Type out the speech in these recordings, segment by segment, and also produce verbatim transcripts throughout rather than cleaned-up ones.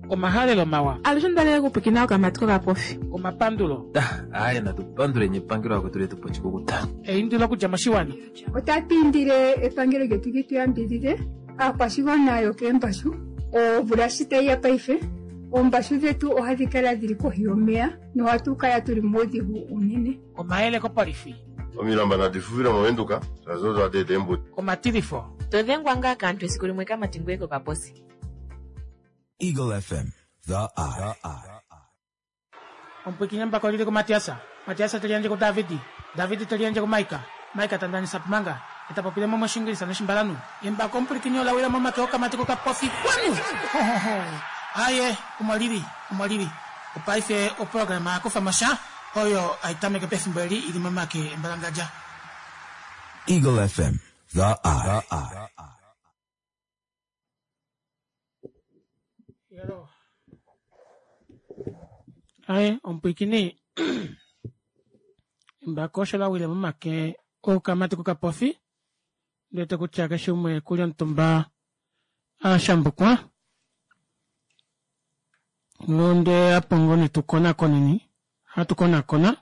Omahalelo mawa. Alushe ondalele okupwiikina okamati kokapofi. Omapandulo. Aaye natu panduleni epangelo lakwetu letu po oshikukuta. Eindilo okudja moshiwana. Otatu indile epangelo lyetu li tu yambidhidhe aakwashigwana yokeembashu. Omvula shi tayi ya paife, oombashu dhetu ohadhi kala dhili kohi yomeya nohatu kala tuli muudhigu uunene. Omayele kopolifi. Omilamba nadi fufile mOvenduka, shaashi odo hadi eta eembuto. Omatilifo. To dhengwa ngaa kaantu esiku limwe kamati ngoye kokaposi. Eagle F M, The Eye. Omupwikinye mbako lili kuMatiasa. Matiasa teli yandje kuDavidi. Davidi teli yandje kuMaika. Maika tandanisa pumanga. Eta popile mo moshingilisa noshimbalanu. Embako omupwikinye ola wila momake okamati kokapofi. Kwanu! Ho, ho, ho. Aye, omo lili, omo lili. Opaife oprograma ya kufa mo sha oyo ai tameke pefimbo eli ili momake embalangadja. Eagle F M, The Eye. Aye, omupwikini embako osho la wile momake okamati kokapofi. Ndete kutya keshe umwe kuli omutumba a shambukwa. Nonde apo ngoo tukonakoneni, hatu konakona.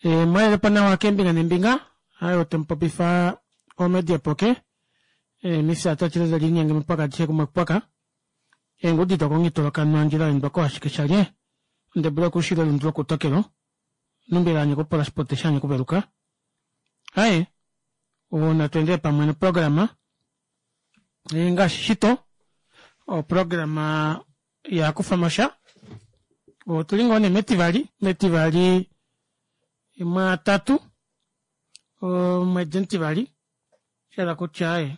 E, mwalele po nawa keembinga nembinga. Aye, otemupopifa omedia poke. E, mifya tachile zalinyenge mpaka adishe kumwe kupaka. Eengudi dokongitolokanwa ndjila endwako ashike shalye. Ndebula kushilo lundu kutokelo. Numbila anye kupola spote shanye kuveluka. Aye, una tuendele pamwe no programa. E, ngaashi shito, o programa ya kufa mosha. Otuli ngoo nee metivali, metivali mwatatu, omwedi omutivali, shala kutya aye,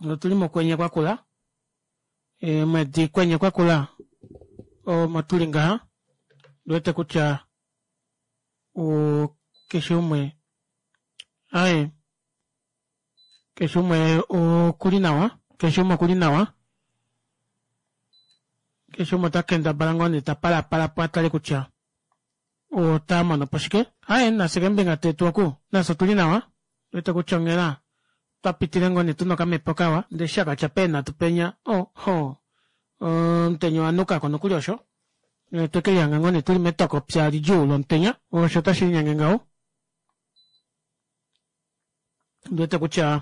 otuli mokwenye kwakula, e, mwedi kwenye kwakula, omo tuli ngaha, ndiwete kutya o, keshe umwe, aye, keshe umwe okuli nawa, keshe umwe okuli nawa, keshe umwe ota kendabala ngoo nee ta palapala po atale kutya ota mono po shike. Aye, nafye kembinga tetu oku, nafye otuli nawa, ndiwete kutya onghela twa pitile ngoo nee tuna okamepo kawa, ndee shakatya peenhatu penya, oh, ho, omutenya owanukako nokuli osho. Tweke lihanga ngoo nee tuli metokopya lidjuu lomutenya, osho otashi linyenge ngaho. Ndiwete kutya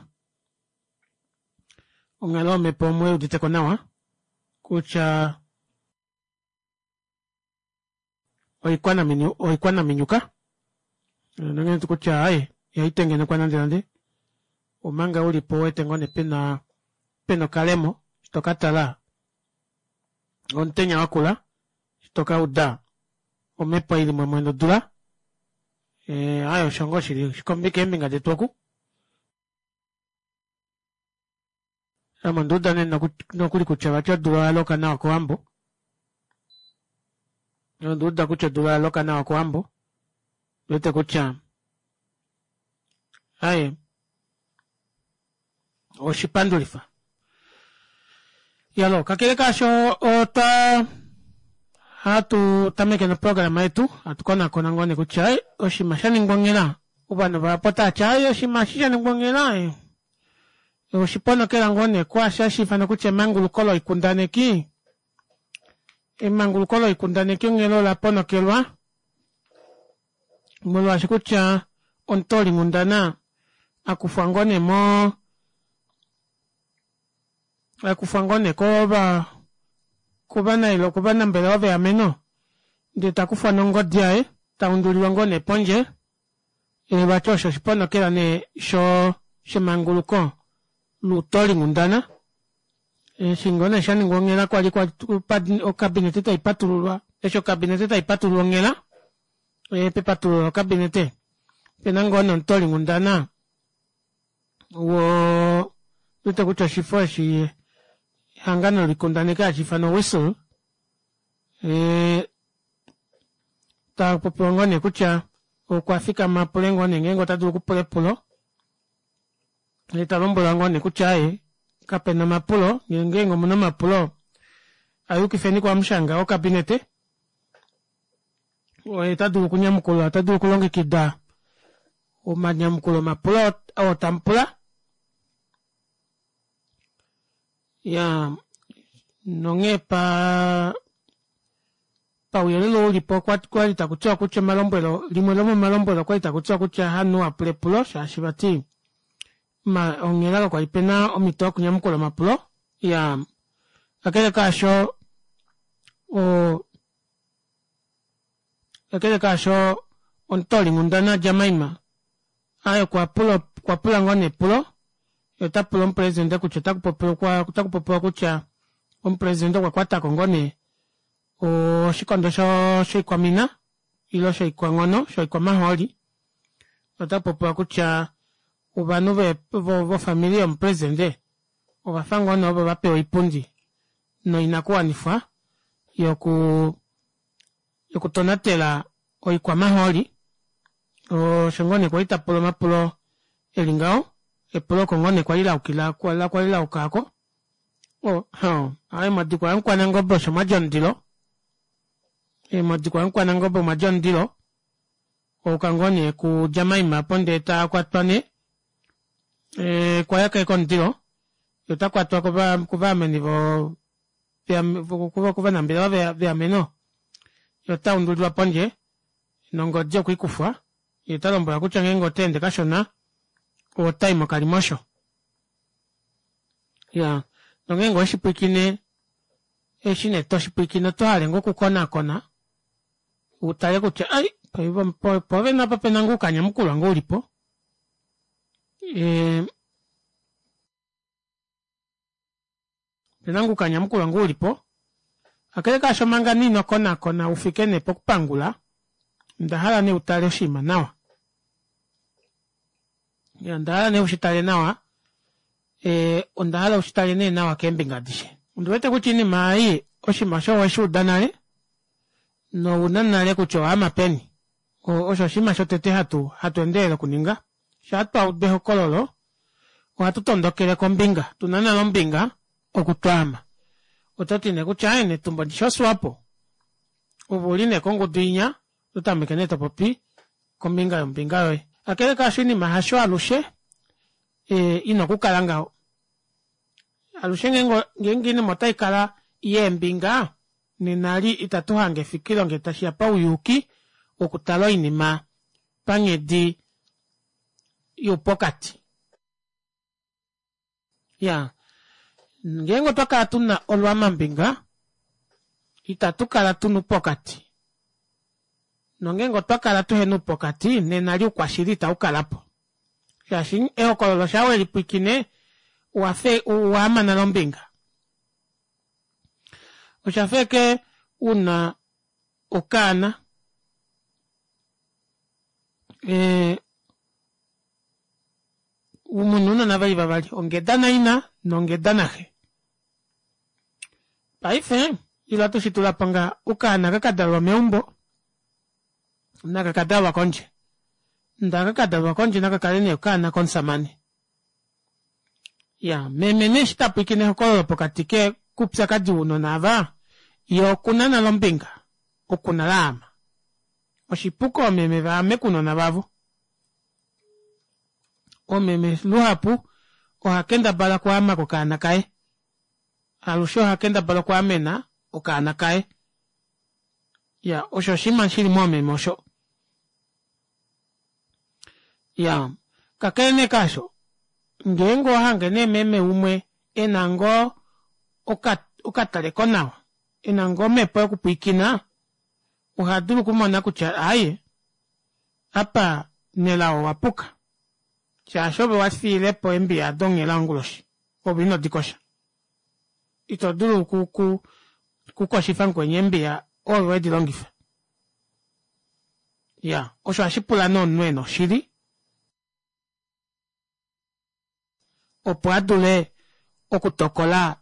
onghalo yomhepo omwe uditeko nawa kutya oikwanaminyuka nonghee kutya aye ihaitengenekwa nande nande omanga ulipo wete ngoo nee pena pena okalemo tokatala omutenya wakula tokauda omhepo ili mumwe nodula aye osho ngoo shili keembinga detu oku. Ame onduuda nee nokuli kutya vati odula oyaloka nawa kOwambo. Onduuda kutya odula oyaloka nawa kOwambo. Wete kutya aye oshipandulifa. Yalo, kakele kaasho otwa hatu tameke noprograma yetu, hatu konakona ngoo nee kutya aye oshinima sha ningwa onghela. Ovanhu vahapu otavati aye oshinima eshi sha ningwa onghela oshiponokela ngoo nee kwaashi hashi ifanwa kutya emanguluko loikundaneki. Emanguluko loikundaneki onghela ola ponokelwa molwaashi kutya omutoolinghundana akufwa ngoo nee mo akufwa ngoo nee kova kovanai kovanambelewa veameno ndee takufwa nongodi yaye taundulilwa ngoo nee pondje. Vati osho oshiponokela nee sho shemanguluko lutoolinghundana. Eshi ngoo nee shaningwa onghela kwali okabinete taipatululwa, eshi okabinete taipatululwa onghela, pepatululo lokabinete opena ngoo nee omutoolinghundana wo wete kutya oshifo eshi ehangano loikundaneki hashi ifanwa Whistle, tapopiwa ngoo nee kutya okwa fikama apule ngoo nee ngeenge ota dulu okupula epulo, ndee talombwelwa ngoo nee kutya aaye kapena omapulo, ngeenge omuna omapulo ayukifeni kuhamushanga wokabinete oye tadulu okunyamukula, ota dulu okulongekida omanyamukulo omapulo oo tamupula. Ya Nonghee pa pauyelele ulipo okwali takutiwa kutya omalombwelo limwe lomomalombwelo okwali takutiwa kutya hamunhu apule epulo shaashi vati onghela kakwali pena omito yokunyamukula omapulo. Iyaa kakele kaasho oo kakele kaasho omutoolinghundana Jemaima aaye okwapula okwapula ngoo nee epulo yee otapula omupresident kutya otakupopiwa kutya omupresident okwakwatako ngoo nee oshikondo shoikwamina ile shoikwanghono shoikwamahooli otakupopiwa kutya ovanhu vofamili yomupresident ovafa ngoo nee ovo vapewa oipundi noinakuwanifwa yoku yokutonatela oikwamahooli osho ngoo nee kwali tapula omapulo eli ngaho epulo oko ngoo nee kwali laukila kwali lauka aako aaye modikwa yamukwanangobe osho mwadja omundilo modikwa yamukwanangobe omwadja omundilo wayuka ngoo nee ku Jemaima aapo ndee takwatwa nee okwayaka ashike omundilo yee otakwatwa kovaameni vo kovanambelewa veameno yee otaundulilwa pondje nongodi okweikufwa yee otalombwelwa kutya ngeenge otaende kashona otayi mokalimosho. Iyaa nongeenge oweshipwiikine eshi nee toshipwiikine otohale ngoo okukonakona utale kutya ai pwoovene apa opena ngoo oukanyamukulwa ngoo ulipo ee opena ngoo oukanyamukulwa ngoo ulipo kakele kaasho manga nee inokonakona ufike nee pokupangula ondahala nee utale oshinima nawa ondahala nee ushitale nawa ee ondahala ushitale nee nawa keembinga adishe ondiwete kutya oinima ei oshinima osho oweshuuda nale nouna nale kutya owaama peni osho oshinima shotete hatu hatu endelele okuninga shaa twaudu ehokololo ohatu tondokele kombinga tuna nale ombinga oku twaama ototi nee kutya aaye netumbo ndishi oswapo ove uli nee kongudu inya ototameke nee topopi kombinga yombinga yoye kakele kaasho oinima hasho alushe ina okukala ngaho alushe ngeenge oinima otaikala yeembinga nena eli ita tuhange efikilo ngee tashiya pauyuuki wokutala oinima panghedi youpokati. Iyaa ngeenge otwa kala tuna olwaamambinga ita tukala tuna oupokati nongeenge otwa kala tuhena oupokati nena eli oukwashili ita ukalapo shaashi ehokololo shaa welipwiikine owafa owaama nale ombinga oshafa ashike una okaana ee muna ounona veli vavali ongeda naina nongeda naxe. Paife ile ohatushitulapo ngaha okaana aka kadalelwa meumbo naka kadalelwa kondje ndee aka kadalelwa kondje nakakale nee okaana komushamane. Iyaa meme nee eshi tapwiikine ehokololo pokati koupyakadi wounona aava yee okuna nale ombinga oku nale aama. Oshipu koomeme vaame kounona vavo. Omeme luhapu ohakendabala okwaama kokaana kaye alushe ohakendabala okwaamena okaana kaye iyaa osho oshinima shili moomeme osho. Iyaa kakele nee kaasho ngeenge owahange nee meme umwe ena ngoo okatalekonawa ena ngoo omepo yokupwiikina ohadulu okumona kutya aaye apa nelao owapuka shaashi ove wafiilepo eembiya aado onghela onguloshi ove inodikosha ito dulu okukoshifa mukweni eembiya ove wedilongifa. Iyaa osho ohashipula nee omunhu ena oshili opo adule okutokola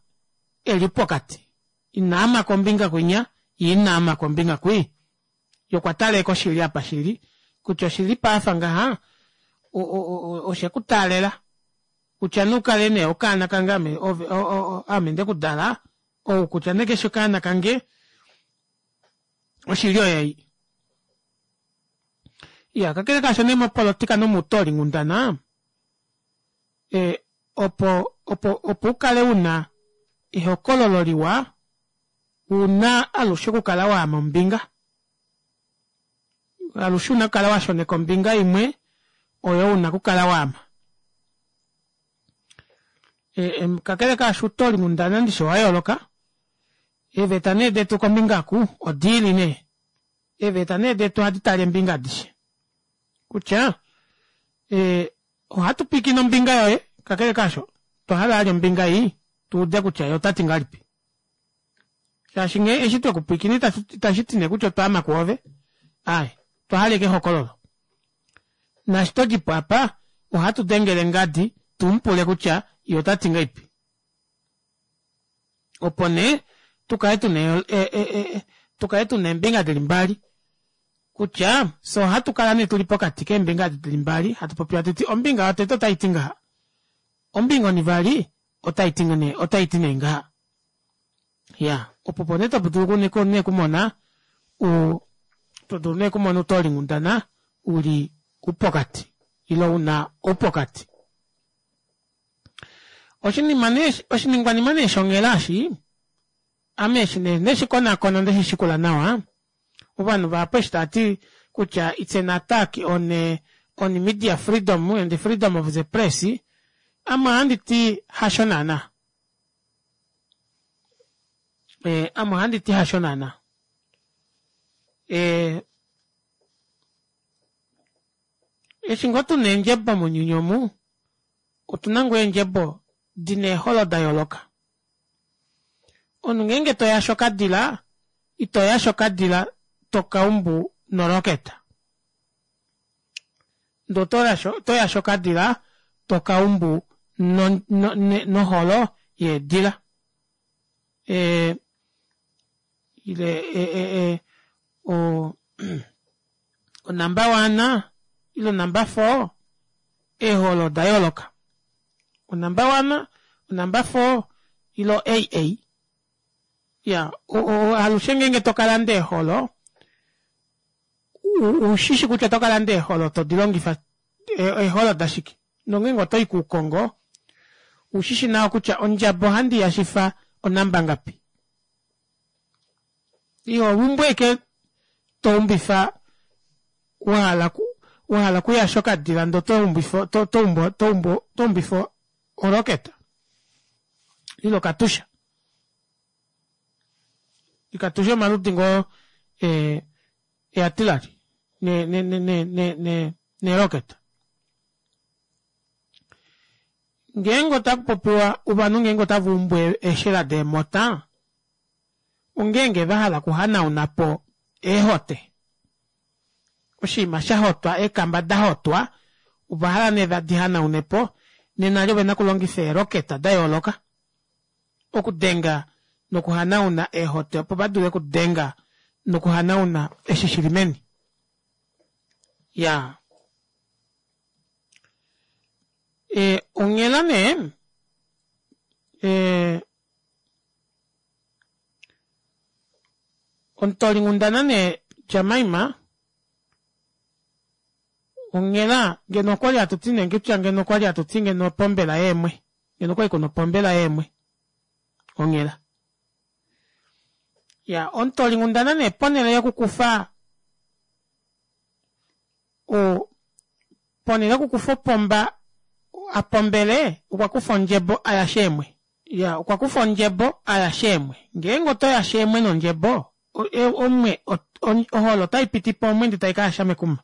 eli pokati inaama kombinga kwinya yee inaama kombinga kwii yee okwatala ashike oshili apa shili kutya oshilipo afa ngaha oshekutaalela kutya nee ukale nee okaana kange ame aame ndekudala ou kutya nee kefi okaana kange oshili oyoyi. Iyaa kakele kaasho nee mopolitika nomoutolinghundana opo opo opo ukale una ehokololo liwa una alushe okukala waama ombinga alushe una okukala washoneka ombinga imwe oyo una okukala waama kakele kaasho outolinghundana ndishi owayooloka eeveta nee detu kombinga oku odiili nee eeveta nee detu ohadi tale eembinga adishe kutya ee ohatu pwiikine ombinga yoye kakele kaasho otwa hala vali ombinga ei tuude kutya yee otati ngahelipi shaashi nghee eshi twekupwiikina itashiti nee kutya otwaama kwoove aaye otwa hala ashike ehokololo naashi todipo apa ohatu dengele ngadi tumupule kutya yee otati ngahelipi opo nee tukale tuna tukale tuna eembinga dili mbali kutya fyee ohatu kala nee tuli pokati keembinga edi dili mbali hatu popi hatuti ombinga yotete otaiti ngaha ombinga onivali otaiti nee otaiti nee ngaha iyaa opo nee todulu nee okumona uu todulu nee okumona outolinghundana uli upokati ile una oupokati oshinima nee oshiningwanima nee shonghela eshi ame eshi nee ndeshikonakona ndeshishikula nawa ovanhu vahapu eshi taati kutya it's an attack on on media freedom and the freedom of the press ame ohanditi hasho naana ee ame ohanditi hasho naana ee eshi ngoo tuna eendjebo mounyuni omu otuna ngoo eendjebo dina eeholo dayooloka omunhu ngeenge toyashe okadila itoyashe okadila tokaumbu noroketa ndee otoyashe okadila tokaumbu noholo yeedila ee ile o o number one ile o number four eeholo odayooloka o number one o number four ile o A_A iyaa alushe ngeenge tokalanda eeholo ushishi kutya otokalanda eeholo todilongifa eeholo dashike nongeenge otoyi koukongo ushishi nawa kutya ondjaba ohandi yashifa o number ngapi ihoumbu ashike toumbifa wahala wahala okuyasha okadila ndee otoumbifa toumbifa o rocket ile okatusha okatusha omaludi ngoo ee artillery ne ne ne ne ne rocket ngeenge otakupopiwa ovanhu ngeenge otavaumbu eeshela deemota ongeenge vahala okuhanaunapo eehote oshiima shahotwa eekamba dahotwa ovahala nee vadi hanaunepo nena eli ovena okulongifa ee rocket dayooloka okudenga nokuhanauna eehote opo vadule okudenga nokuhanauna eshi shili meni iyaa ee onghela nee ee omutoolinghundana nee jemima onghela ngeno okwali hatuti nee kutya ngeno okwali hatuti ngeno opombela yeemwe ngeno okwali kuna opombela yeemwe onghela iya omutoolinghundana nee ponele yokukufa o ponele yokukufa opomba apombele okwakufa ondjebo ayashe eemwe iya okwakufa ondjebo ayashe eemwe ngeenge otoyashe eemwe nondjebo omwe oholo otaipitipo omwe ndee taikayasha mekuma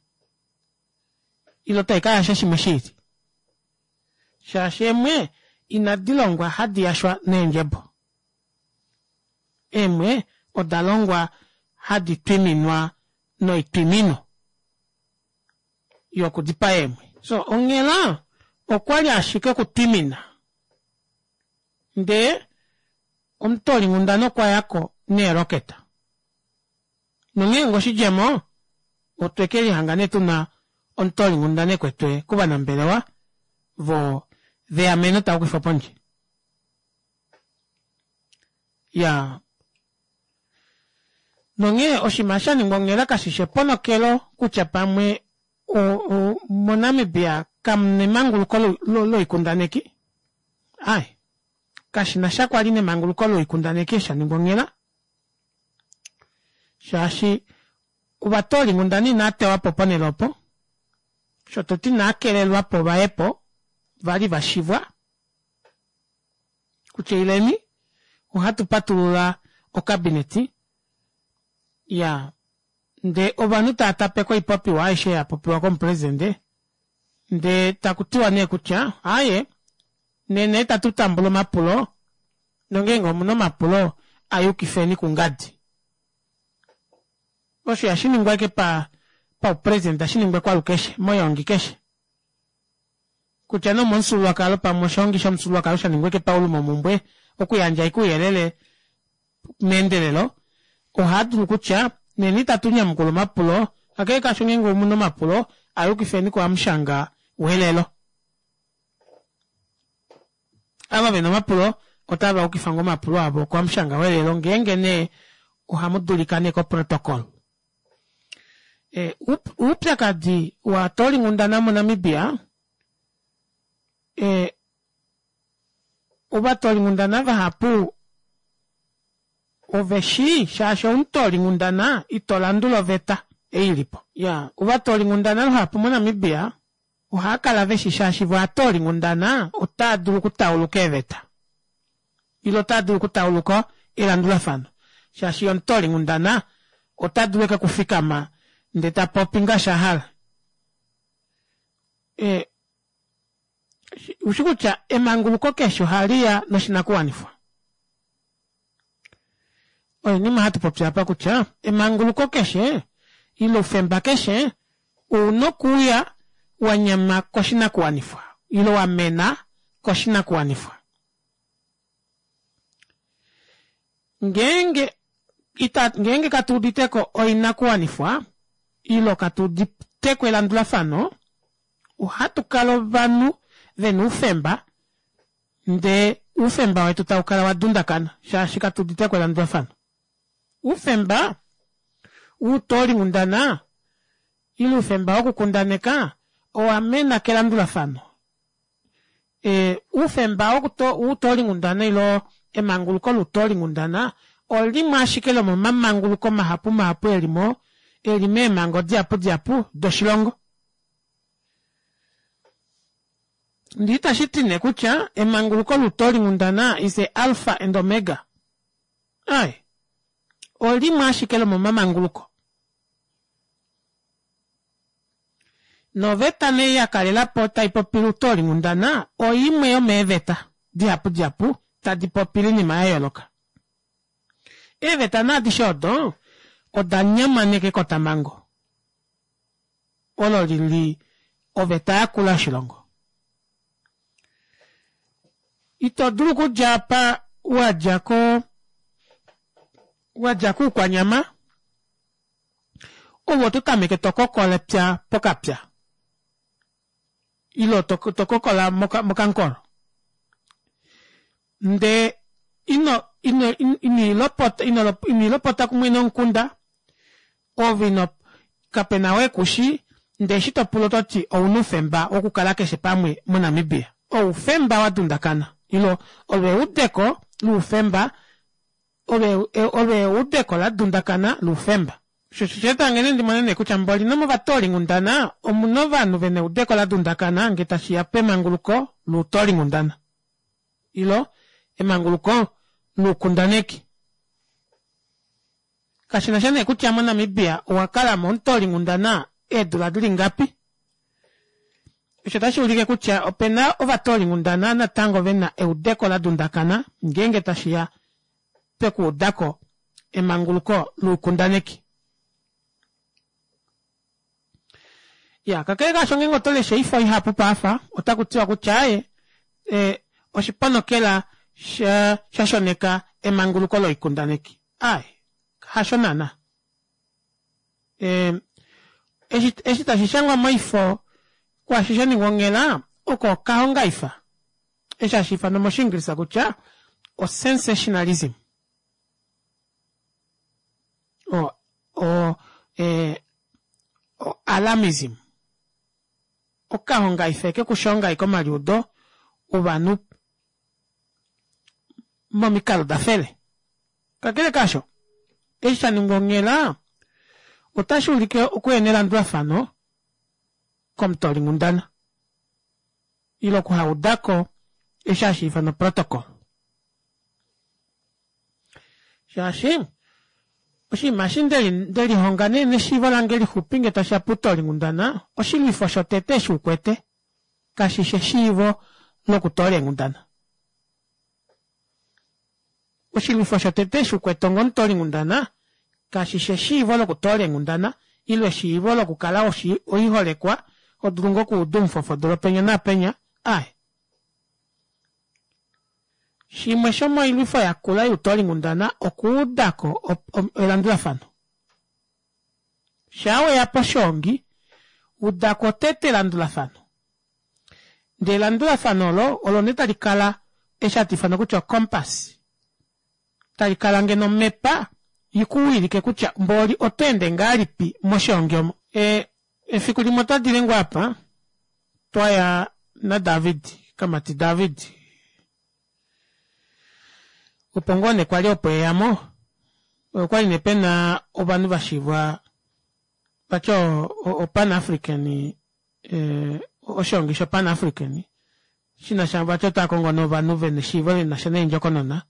ile taikayasha shimwe shiili shaashi eemwe inadilongwa hadi yashwa neendjebo eemwe odalongwa hadi twiminwa noitwimino yokudipaa eemwe so onghela okwali ashike okutwimina ndee omutoolinghundana okwayako neeroketa nonghee ngoo oshidjemo otwekelihanga nee tuna omutoolinghundana ekwetwe kovanambelewa vo veameno taukifwa pondje iyaa nonghee oshinima shaningwa onghela kashishi eponokelo kutya pamwe mo namibia kamuna emanguluko loikundaneki aaye Kashi na sha kwali nemanguluko loikundaneki eshi sha ningwa onghela shaashi ovatoolinghundana inaa tewapo ponele opo sho toti inaa kelelwapo vayepo vali vashivwa kutya ileni ohatu patulula okabineti ya ndee ovanhu tava tapeke oipopiwa aishe yapopiwa komupresidente ndee takutiwa nee kutya aaye nena itatu tambula omapulo nongeenge omuna omapulo ayukifeni kungadi osho ihashiningwa ashike pa paupresident ashiningwa kwalukeshe moyongi keshe kutya nee omomufyuululwakalo pamwe oshihongi shomufyuululwakalo shaningwa ashike paulumomumbwe okuyandja ashike ouyelele meendelelo ohaadulu kutya nena itatu nyamukula omapulo kakele kaasho ngeenge omuna omapulo ayukifeni kuhamushanga welelo ava vena omapulo otava yukifa ngoo omapulo avo kuhamushanga welelo ngeenge nee ohamu dulika nee koprotocol e, oupyakadi waatoolinghundana moNamibia e, ovatoolinghundana vahapu ove shii shaashi omutoolinghundana ito landula oveta ei ilipo ya ovatoolinghundana luhapu moNamibia ohaakala veshi shaashi vo aatoolinghundana otaa dulu okutauluka eeveta ile otaa dulu okutauluka elandulafano shaashi omutoolinghundana ota dulu eke kufikama ndee tapopi ngaashi ahala e, ushi kutya emanguluko keshe ohaliya noshinakuwanifwa oinima hatu popi apa kutya emanguluko keshe ile oufemba keshe ouna okuuya wanyama koshinakuwanifwa ile wamena koshinakuwanifwa ngeenge ita ngeenge katuuditeko oinakuwanifwa ile katuuditeko elandulafano ohatu kala ovanhu vena oufemba ndee oufemba wetu taukala wadundakana shaashi katuuditeko elandulafano oufemba woutoolihundana ile oufemba wokukundaneka owamena kelandulafano e, oufemba woutoolinghundana ile emanguluko loutoolinghundana olimwe ashike lomomamanguluko mahapu mahapu elimo eli meemhango dihapu dihapu doshilongo ndee itashiti nee kutya emanguluko loutoolinghundana is a alpha and omega ai olimwe ashike lomomamanguluko noveta nee yakalelapo taipopile outoolinghundana oimwe yomeeveta dihapu dihapu tadi popile oinima yayooloka eeveta nee adishe odo oda nyamaneka ekotamhango olo lili oveta yakula yoshilongo ito dulu okudja apa wadja ko wadja kuukwanyama ove oto tameke tokokola epya pokapya ile tokokola mokankolo ndee ino ino inilopota inilopota kumwene womukunda ove ino kapena oo ekushi ndee eshi topula ototi ouna oufemba wokukala keshe pamwe moNamibia oufemba wadundakana ile olo eudeko loufemba olo eudeko ladundakana loufemba osho osheetange nee ndimone nee kutya mboli nomovatoolinghundana omuna ovanhu vena eudeko ladundakana ngee tashiya pemanguluko loutoolinghundana ile emanguluko loukundaneki kashinasha nee kutya moNamibia owakalamo omutoolinghundana eedula dili ngapi osho otashi ulike kutya opena ovatoolinghundana natango vena eudeko ladundakana ngeenge tashiya pekuudako emanguluko loukundaneki ya kakele kaasho ngeenge oto lesha oifo ihapu paafa otakutiwa kutya aaye e, oshiponokela sha shashoneka emanguluko loikundaneki aaye hasho naana e, eshi, eshi tashi shangwa moifo kwaashi shaningwa onghela oko okahongaifa eshi hashi ifanwa moshiingilisa kutya o-sensationalism o, o, e, o alarmism okahongaifa eke kushonga ashike omaliudo ovanhu momikalo dafele. Kakele kaasho, eshi sha ningwa onghela otashi ulike okuhena elandulafano komutoolinghundana ile okuhaudako eshi hashi ifanwa protocol. Shaashi oshinima eshi ndelihonga nee neshiivo lange lixupi ngee tashiya poutoolinghundana, oshilwifo shotete eshi ukwete kashishi eshiivo lokutoola eenghundana. Oshilwifo shotete eshi ukwete onga omutoolinghundana kashishi eshiivo lokutoola eenghundana ile eshiivo lokukala oiholekwa hodulu ngoo okuuda omufofodolo penya naapenya, aaye. Shimwe shomoilwifo yakula youtoolinghundana okuudako elandulafano. Shaa weya poshoongi udako tete elandulafano. Ndee elandulafano olo olo nee tali kala eshi hatu ifana kutya ocompass. Tali kala ngeno omepa ikuwilike kutya mboli oto ende ngahelipi moshoongi omo. E efiku limwe otwa dile ngoo apa twaya naDavid, kamati David. Opo ngoo nee kwali opo eyamo, okwali nee pena ovanhu vashivwa vati o Pan African oshoongi sho Pan African shinasha vati otava kongo nee ovanhu vena eshiivo linasha neendjokonona.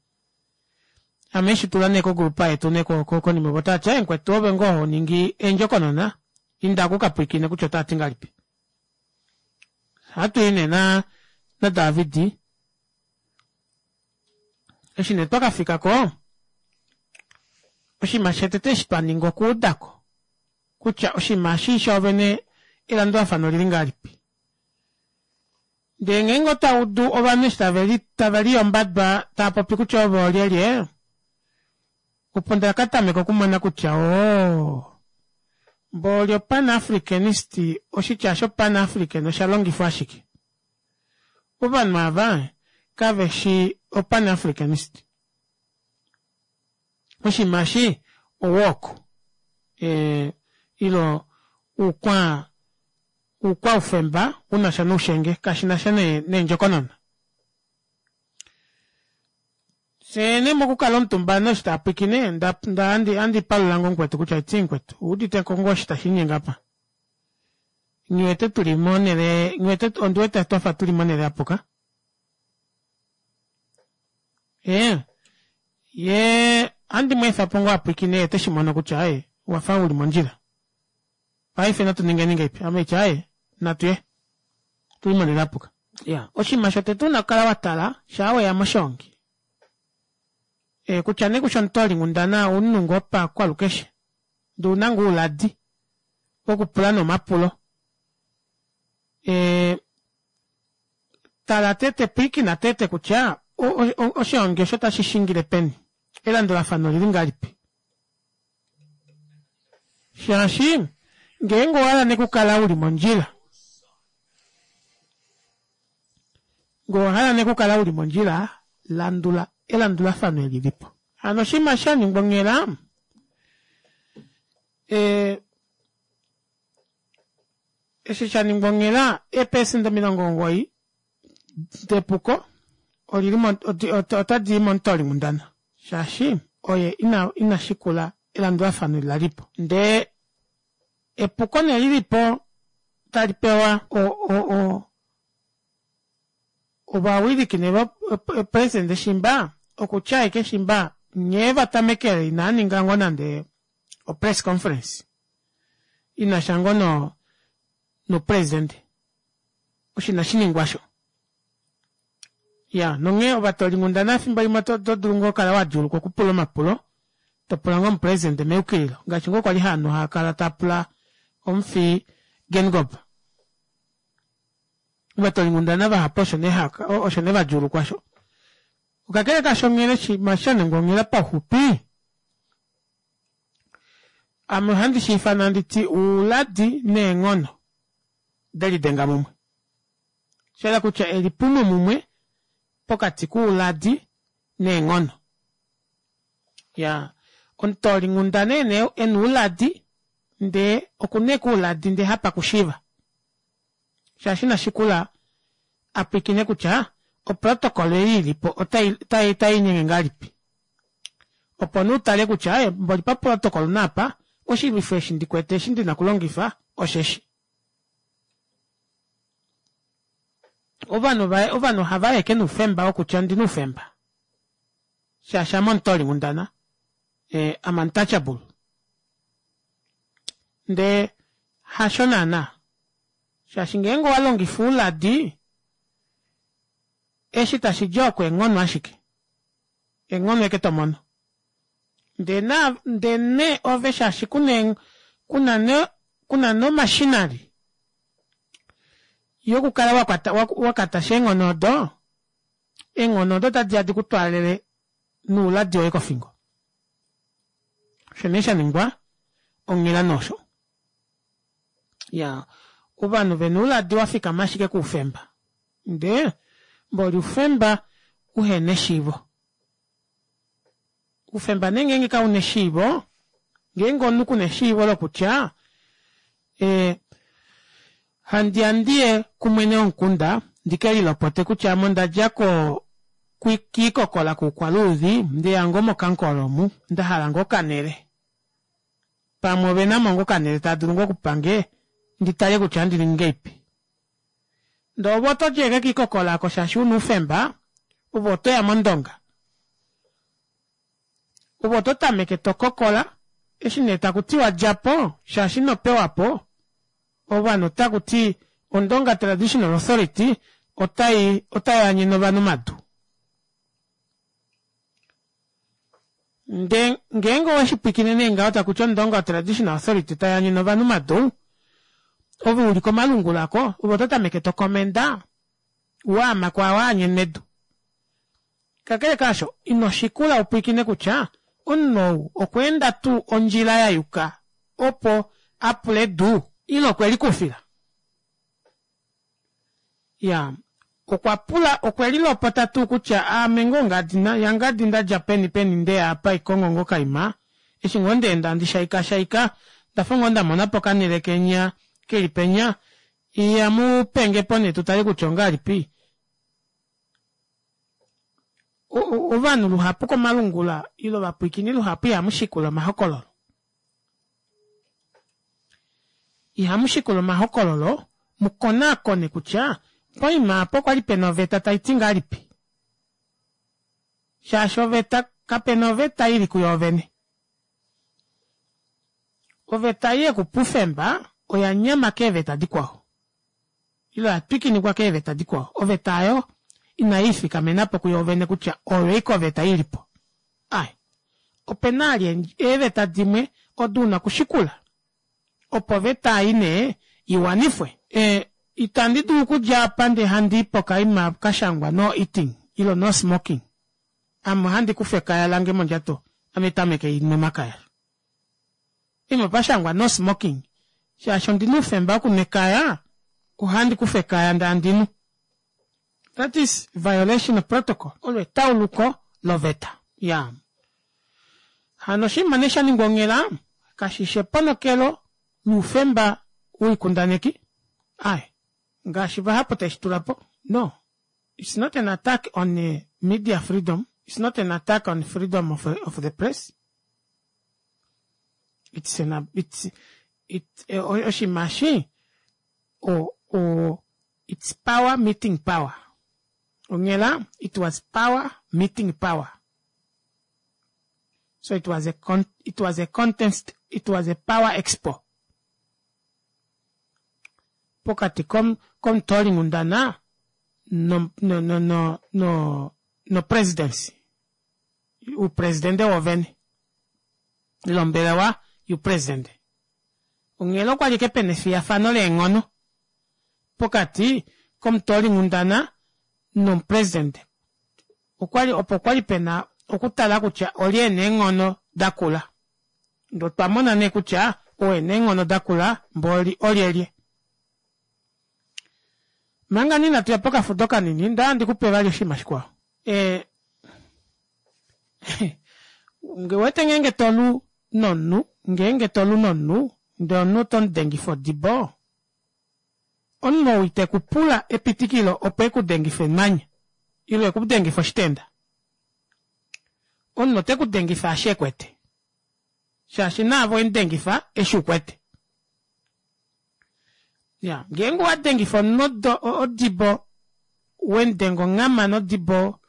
Ame eshi tula nee kogrupa yetu nee konima opo otavati aaye mukwetu ove ngoo honingi eendjokonona inda kukapwiikine kutya otavati ngahelipi. Ohatuyi nee na naDavid eshi nee twakafikako oshinima shotete eshi twaninga okuudako kutya oshinima eshi shoovene elandulafano olili ngahelipi. Ndee ngeenge otwa udu ovanhu eshi tave liyombadwa tava popi kutya ove olyelye, opo ndakatameka okumona kutya oo mboli opan-africanist, oshitya osho pan-african osha longifwa ashike. Ovanhu ava kaveshi opan-africanist. Oshinima eshi owalk ile oukwa oukwaufemba unasha noushenge kashinasha neendjokonona. Fyee nee mokukala omutumba ovanhu eshi taapwiikine ohandi palula ngoo mukwetu kutya eti mukwetu owuuditeko ngoo osho tashiinyenge aapa? Nghiwete tuli monele nghiwete ondiwete twafa tuli monele yapuka. Ee yee ohandi mweefapo ngoo apwiikine yee oteshimono kutya aaye owafa uli mondjila. Paife natu ningeni ngahelipi? Ame haiti aaye natuye otuli monele yapuka. Iyaa oshinima shotete una okukala watala shaa weya moshoongi kutya nee kushi omutoolinghundana omunhu ngoo pakwalukeshe ndee ouna ngoo ouladi wokupula nee omapulo tala tete pwiikina tete kutya oshoongi osho otashi shingile peni elandulafano olili ngahelipi shaashi ngeenge owahala nee okukala uli mondjila ngee owahala nee okukala uli mondjila landula elandulafano eli lilipo. Hano oshinima shaningwa onghela eshi shaningwa onghela eepecent omilongo omugoyi depuko olili otadii momutoolinghundana shaashi oye ina shikula elandulafano eli lalipo. Ndee epuko nee lilipo tali pewa ovawiliki nee president shimba okutya ashike shimba nghee vatamekele inaaninga ngoo nande o press conference inasha ngoo noupresident osho inashiningwa osho. Iyaa nonghee ovatoolinghundana efimbo limwe oto dulu ngoo okukala wadjuulukwa okupula omapulo topula ngoo omupresident meyukililo ngaashi ngoo kwali ovanhu haakala taapula omufi Geingob. Ovatoolinghundana vahapu osho nee osho nee vadjuulukwa osho. Kakele kaasho onghela oshinima shaningwa onghela pauxupi ame ohandi shiifana handiti ouladi neenghono delidenga mumwe. Shahala kutya elipumo mumwe pokati kouladi neenghono. Iyaa omutoolinghundana ena ouladi ndee okuna ashike ouladi ndee hapakushiiva shaashi inashikula apwiikine kutya Oprotocol ei ilipo otai otai otaiinyenge ngahelipi opo nee utale kutya aaye mboli paprotocol naapa oshilwifo eshi ndikwete eshi ndina okulongifa osheshi. Ovanhu ovanhu ohavayi ashike noufemba wokutya ondina oufemba shaashi ame omutoolinghundana am untouchable ndee hasho naana shaashi ngeenge owalongifa ouladi eshi tashidi oko eenghono ashike eenghono ashike tomono ndee naa ndee nee ove shaashi kuna kuna nee kuna nee omashinali yokukala wakwata wakatasha eenghono odo eenghono odo otadiya dikutwaalele nouladi woye kofingo osho nee shaningwa onghela nosho iyaa ovanhu vena ouladi wafikama ashike koufemba ndee mboli oufemba uhena eshiivo oufemba nee ngenge kauna eshiivo ngeenge omunhu kuna eshiivo lokutya ee handiya ndiye kumwene womukunda ndikelilopote kutya ame ondadja koo kiikokola kuukwaluudhi ndeya ngoo mokankolo omu ndahala ngoo okanele pamwe ovenamo ngoo okanele taadulu ngoo okupange nditale kutya ohandi ningi ngahelipi ndee ove otodi ashike kiikokola aako shaashi una oufemba ove otoya mondonga ove ototameke tokokola eshi nee takutiwa djapo shaashi inopewapo ovanhu otakuti ondonga traditional authority otai otayaanyene ovanhu omadu ndee ngeenge oweshipwiikine nee ngaho takuti ondonga traditional authority tayaanyene ovanhu omadu ove uli komalungula aako ove ototameke tokomenda waama kwaao aanyenwa edu kakele kaasho inoshikula upwiikine kutya omunhu ou okwa tuu ondjila yayuka opo apule edu ile okwelikufila iyaa okwa pula okwelilopota tuu kutya aame ngoo ngadi yangadi ndadja peni peni ndeya apa haikongo ngoo okaima eshi ngoo ndaenda handi shaika shaika ondafa ngoo ndamonapo okanele kenya keli penya iya mupengepo nee tutale kutya ongahelipi ovanhu luhapu komalungula ile ovapwiikini luhapu ihamushikula omahokololo ihamushikula omahokololo mukonaakone kutya poima apa okwali pena oveta taiti ngahelipi shaashi oveta kapena oveta ili kuyoovene oveta ei yekupa oufemba oya nyama keeveta dikwao ile oya twikinikwa keeveta dikwao oveta aayo inaiifikamenapo kuyoovene kutya oyo ashike oveta ilipo aaye opena vali eeveta dimwe odo una okushikula opo oveta ei nee iwanifwe ee itandi dulu okudja apa ndee handii pokaima kashangwa no eating ile no smoking ame ohandi kufa ekaya lange mondjato ame tameke hainhu omakaya poima pashangwa no smoking shaashi ondina oufemba wokunwa ekaya ohandi kufa ekaya ndee handinu that is violation of protocol olo etauluko loveta iyaa hano oshinima nee shaningwa onghela kashishi eponokelo loufemba woikundaneki aaye ngaashi vahapu taishitulapo no it's not an attack on media freedom it's not an attack on freedom of, of the press it's an it's it oshinima eshi o o it's power meeting power onghela it was power meeting power so it was a con it was a contest it was a power expo pokati komutoolinghundana no no no no no no presidency oupresidente woovene ile ombelewa youpresidente onghela okwali ashike pena efiyafano leenghono pokati komutoolinghundana nomupresidente okwali opo kwali pena okutala kutya olye ena eenghono dakula ndee otwa mona nee kutya oo ena eenghono dakula mboli olyelye manga nee inatuya pokafudo kanini nda ndikupe vali oshinima shikwao ee ngewete ngeenge tolu nomunhu ngeenge tolu nomunhu ndee omunhu otomudengifa odibo omunhu ou itekupula epitikilo opo ekudengife emanya Ile eku dengifa oshitenda. Omunhu ote ku dengifa eshi ekwete. Shaashi naave owemudengifa eshi ukwete. Ya, ngeenge owa dengifa omunhu odibo, wemudenga onghama nodibo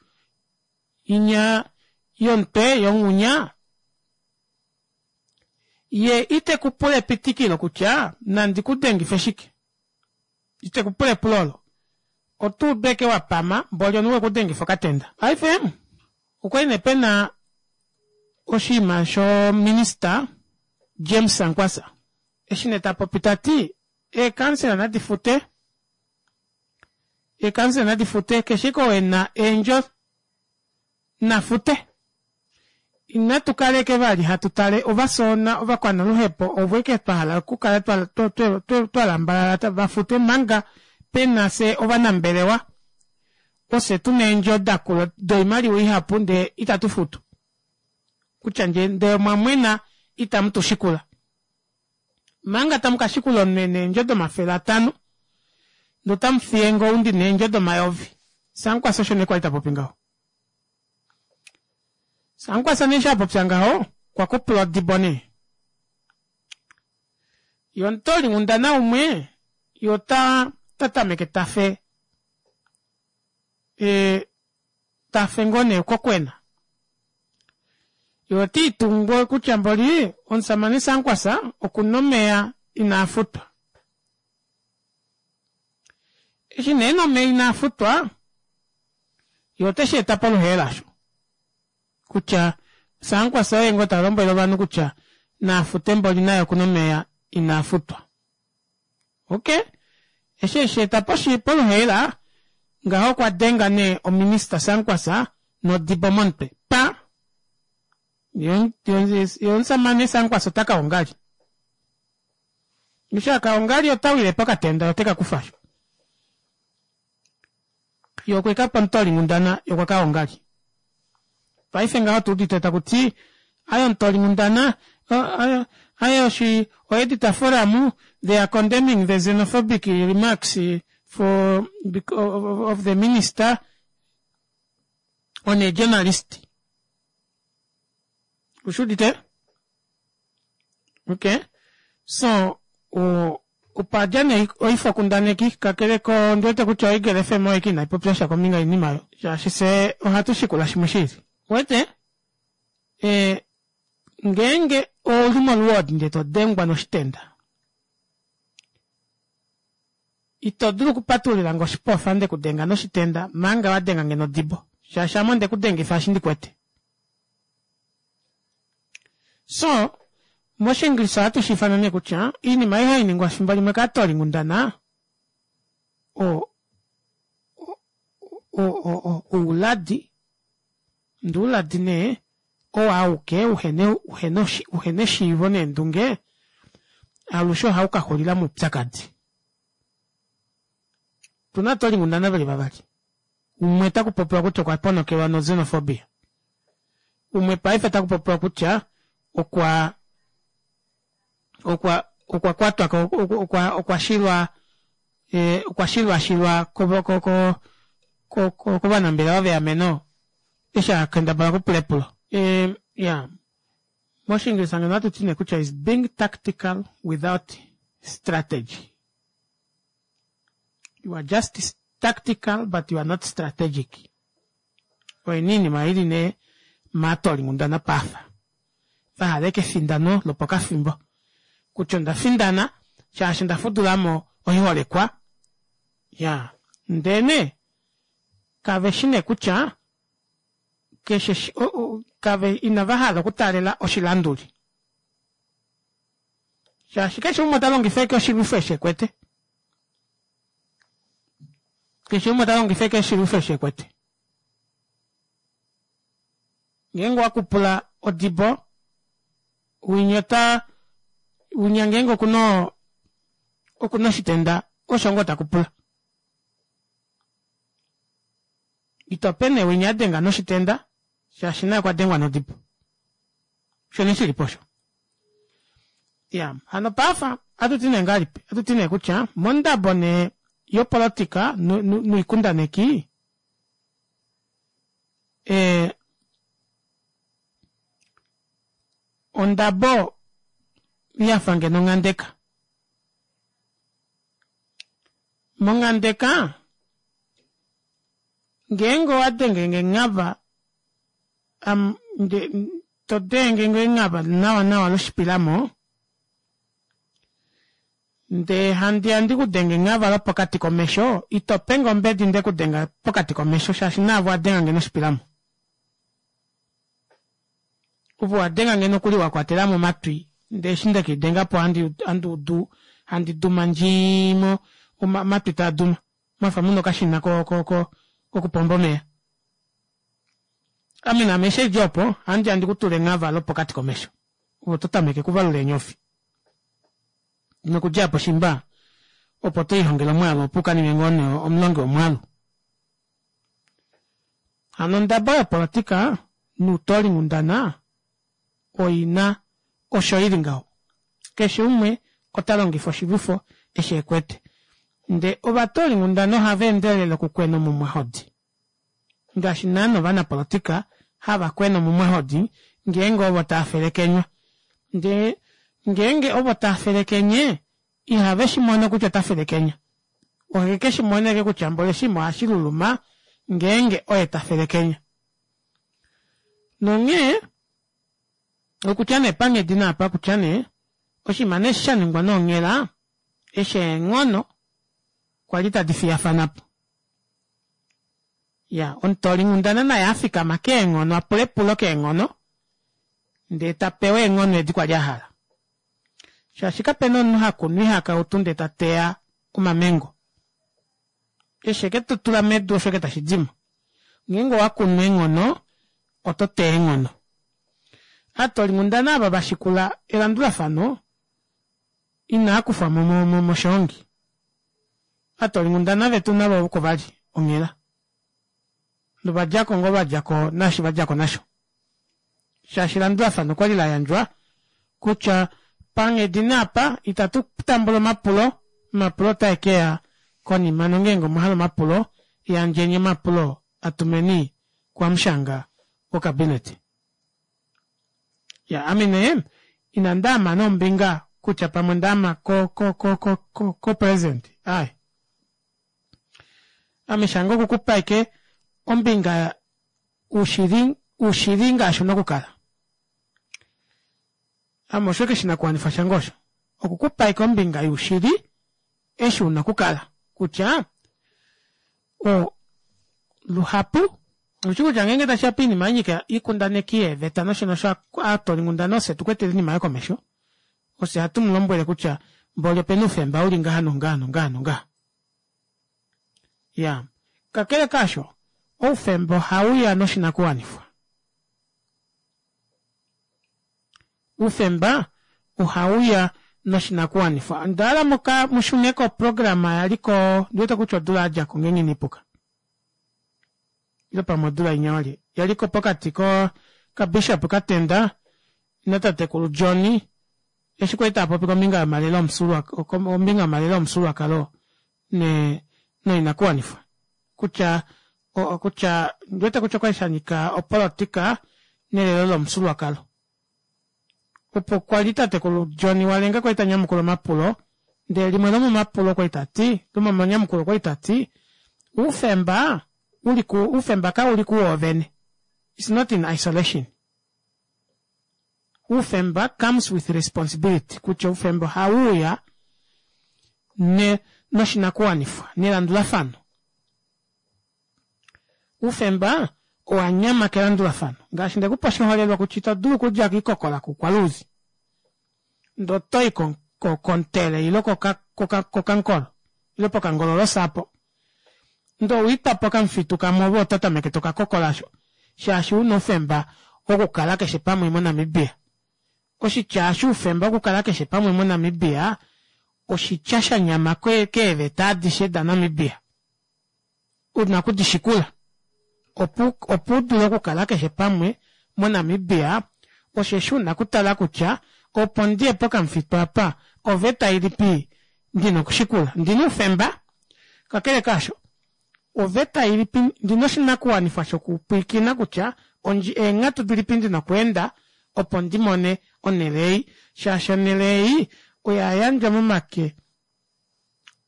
inya yomutwe yonghunya, ye ite kupula epitikilo kutya nandi kudengife shike. Ite kupula epulo olo. Otuudu ashike wapama mboli omunhu wekudengifa okatenda. Paife okwali nee pena oshinima sho minister James Sankwasa eshi nee tapopi tati eekansela nadi fute eekansela nadi fute keshe ike oo ena eendjo nafute. Inatu kaleke vali hatu tale ovasoona ovakwanaluhepo ovo eke twahala okukala twa lambalala vafute manga pena fye ovanambelewa ofye tuna eendjo dakula doimaliwa ihapu ndee itatu futu. Kutya nje ndee omwamwena itamu tushikula. Manga tamu kashikula omunhu ena eendjo domafele atano ndee otamufiye ou ndina eendjo domayovi. Sankwasa osho nee kwali tapopi ngaho. Sankwasa nee eshi apopya ngaho okwa kupula odibo nee. Yee omutoolinghundana umwe yee ota tatameke tafe ee tafe ngoo nee kokwena. Yee otiitungu kutya mboli omushamane Sankwasa okuna omeya inaafutwa. Eshi nee ena omeya inaafutwa yee otesheeta poluheela osho kutya Sankwasa oye ngoo talombwele ovanhu kutya nafute mboli naye okuna omeya inaafutwa. Okey, eshi esheeta poluheela ngaho okwa denga nee ominister Sankwasa nodibo momutwe pa! Yee omushamane Sankwasa ota kaongali. Eshi akaongali ota wile pokatenda oteka kufa osho. Yee okwekapa omutoolinghundana yee okwa kaongali. Paife ngaho otuudite takuti aaye omutoolinghundana aaye oshi o editor forum they are condemning the xenophobic remarks for of the minister on a journalist. Ushuudite? Okay. So opadja nee oifokundaneki kakele ko ondiwete kutya oEagle F M oyo ashike inaipopya sha kombinga yoinima oyo shaashi fyee ohatu shikula shimwe shiili. Uwete? E, ngeenge ouli moluwoodi ndee todengwa noshitenda ito dulu okupatulila nge oshipofa ndekudenga noshitenda manga wadenga nge nodibo shaashi ame ondekudengifa eshi ndikwete. So moshiingilisa ohatu shiifana nee kutya oinima ei hainingwa efimbo limwe kaatoolinghundana o o ouladi ndee ouladi nee oo auke uhena uhena eshiivo neendunge alushe ohaukaxulila moupyakadi. Otuna ovatoolinghundana veli vavali. Umwe otakupopiwa kutya okwa ponokelwa no xenophobia. Umwe paife otakupopiwa kutya okwa okwa okwa kwatwa okwa okwa shilwa okwa shilwashilwa ko ko kovanambelewa veameno eshi akendabala okupula epulo. Iya moshiingilisa ngeno ohatuti nee kutya is being tactical without strategy. You are just tactical but you are not strategic. Oyo nee oinima ili nee maatoolinghundana paafa. Vahala ashike efindano lopokafimbo. Kutya onda findana shaashi onda fudulamo oiholekwa. Ya, ndee nee kaveshi nee kutya keshe kave inava hala okutaalela oshilanduli. Shaashi keshe umwe ota longifa ashike oshilwifo eshi ekwete. Keshe umwe ota longifa ashike oshilwifo eshi ekwete. Ngeenge owakupula odibo winya ota winya ngeenge okuna okuna oshitenda osho ngoo takupula. Itope nee winya adenga noshitenda shaashi naye okwa dengwa nodibo. Osho nee shilipo osho. Iya, hano paafa ohatuti nee ngahelipi? Ohatuti nee kutya mondabo nee yopolotika noikundaneki Ee ondabo yafa ngeno onghandeka. Monghandeka ngeenge owadenge enghava todenge enghava nawa nawa loshipilamo ndee handiya ndikudenge enghava lopokati komesho itopenge ombedi ndekudenga pokati komesho shaashi naave owadengange noshipilamo. Ove owadengange nokuli wakwatelamo omatwi ndee eshi ndekelidengapo handuudu handi duma ndjii omatwi taaduma mwafa muna okashina ko- ko- kokupomba omeva. Ame naame eshi haidi opo ohandiya ndikutule enghava lopokati komesho ove oto tameke okuvalula eenyofi nokudja aapo shiimba opo tolihongele omwaalu opo ukaninge ngoo nee omulongi womwaalu. Hano ondabo yopolitika noutoolinghundana oina osho ili ngaho keshe umwe otalongifa oshilwifo eshi ekwete ndee ovatoolinghundana ohava endelele okukwena omumwahodi ngaashi naana ovanapolitika hava kwene omumwahodi ngeenge ovo taafelekenywa ndee ngeenge ovo taafelekenye ihave shimono kutya ota felekenya ohekeshimona ashike kutya mboli oshinima ohashiluluma ngeenge oye tafelekenya nonghee okutya nee panghedi naapa kutya nee oshinima nee eshi shaningwa nee onghela eshi eenghono kwali tadi fiyafanapo iyaa omutoolinghundana naye afikama keenghono apule epulo keenghono ndee tapewa eenghono edi kwali ahala shaashi kapena omunhu hakunu oihakautu ndee tateya omamengo eshi ashike totula medu osho ashike tashidimo ngeenge owakunu eenghono oto teya eenghono. Aatoolinghundana ava vashikula elandulafano inaakufwamo moshoongi ovatoolinghundana vetu navo oko vali onghela novadjako ngoo vadjako naashi vadjako nasho shaashi elandulafano okwali layandjwa kutya panghedi nee apa itatu tambula omapulo omapulo otaekeya konima nongeenge omwahala omapulo yandjeni omapulo atumeni kuhamushanga wocabinet. Iyaa ame nee inandaama nee ombinga kutya pamwe ondaama ko- ko- ko- ko president aaye ame shange okukupa ashike ombinga ushili ushili ngaashi una okukala ame osho ashike oshinakuwanifwa shange osho okukupa ashike ombinga youshili eshi una okukala kutya o luhapu oushi kutya ngeenge tashiya poinima yanyika oikundaneki yeeveta nosho nosho aatoolinghundana ofye tukwetele oinima aayo komesho ofye hatu mulombwele kutya mboli opena oufemba uli ngaha nongaha nongaha nongaha iyaa kakele kaasho oufemba ohauya noshinakuwanifwa oufemba ohauya noshinakuwanifwa ondahala muka mushune koprograma yaliko ondiwete kutya odula yadjako ngeenge inaipuka ile pamwe odula inya walye yaliko pokati ko kabishop Katenda natatekulu John eshi kwali taapopi kombinga yomalelo kombinga yomalelo omufyuululwakalo ne noinakuwanifwa kutya kutya ondiwete kutya okwali shanyika opolitika nelelo lomufyuululwakalo opo kwali tatekulu John Walenga kwali tanyamukula omapulo ndee limwe lomomapulo okwali tati lomomanyamukulo okwali tati oufemba uliku oufemba kauli kuwoovene its not in isolation oufemba comes with responsibility kutya oufemba ohauuya ne noshinakuwanifwa nelandulafano oufemba owanyama kelandulafano ngaashi ndekupa oshiholelwa kutya ito dulu okudja koikokola kuukwaluudhi ndee otoyi kontele ile kokankolo ile pokangololosa aapo ndee owiitwapo okamufitu kamwe ove oto tameke tokakokola shaashi una oufemba wokukala keshe pamwe mo namibia oshitya eshi oufemba wokukala keshe pamwe mo namibia oshitya shanyama keeveta adishe da namibia una okudishikula opo opo udule okukala keshe pamwe mo namibia osheshi una okutala kutya opo ndiye pokamufitu apa oveta ilipi ndina okushikula ondina oufemba kakele kaasho Oveta ilipi ndina oshinakuwanifwa shokupwilikina kutya eenghatu dilipi ndina okweenda opo ndimone onele ei shaashi onele ei oya yandjwa momake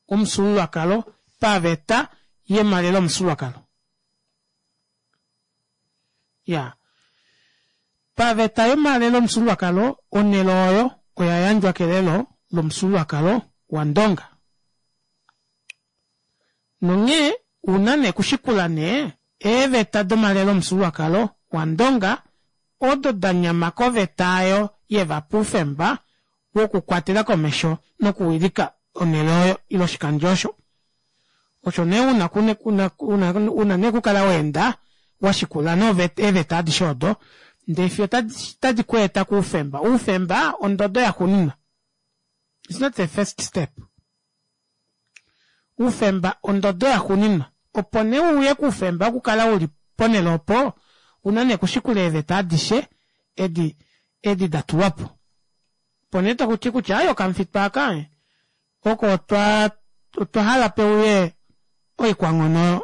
omufyuululwakalo paveta yomalelo omufyuululwakalo. Iyaa paveta yomalelo omufyuululwakalo onele oyo oya yandjwa kelelo lomufyuululwakalo wandonga. Nonghee ouna nee okushikula nee eeveta domalelo omufyuululwakalo wandonga odo danyama koveta aayo yevapa oufemba wokukwatela komesho nokuwilika onele oyo ile oshikandjo osho. Osho nee una una nee okukala waenda washikula nee eeveta adishe odo ndee fiyo otadi kweeta koufemba. Oufemba ondodo yaxuuninwa, it's not the first step. Oufemba ondodo yaxuuninwa opo nee uye koufemba wokukala uli ponele opo ouna nee okushikula eeveta adishe edi edi datulwapo. Opo nee tokuti kutya aaye okamufitu aaka oko otwa otwahala peuye oikwanghono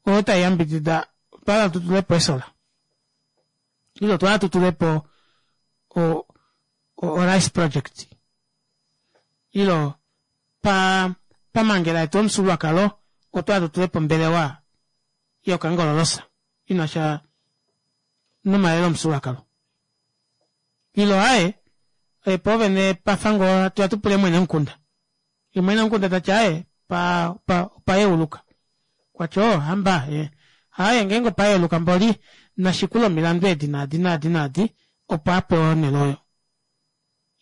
oyo taiyambidida otwahala tutulepo eesolar ile otwahala tutulepo o o rice project ile pa pamangela yetu yomufyuululwakalo otwahala tutulepo ombelewa yokangololosa inasha nomalelo omufyuululwakalo ile aaye poovene pafa ngoo hatuya tupule mwene womukunda yee mwene womukunda tati aaye pa opa yeuluka okwati oo hamba ee aaye ngeenge opa yeuluka mboli nashikule omilandu edi naadi naadi naadi opo apewe onele oyo.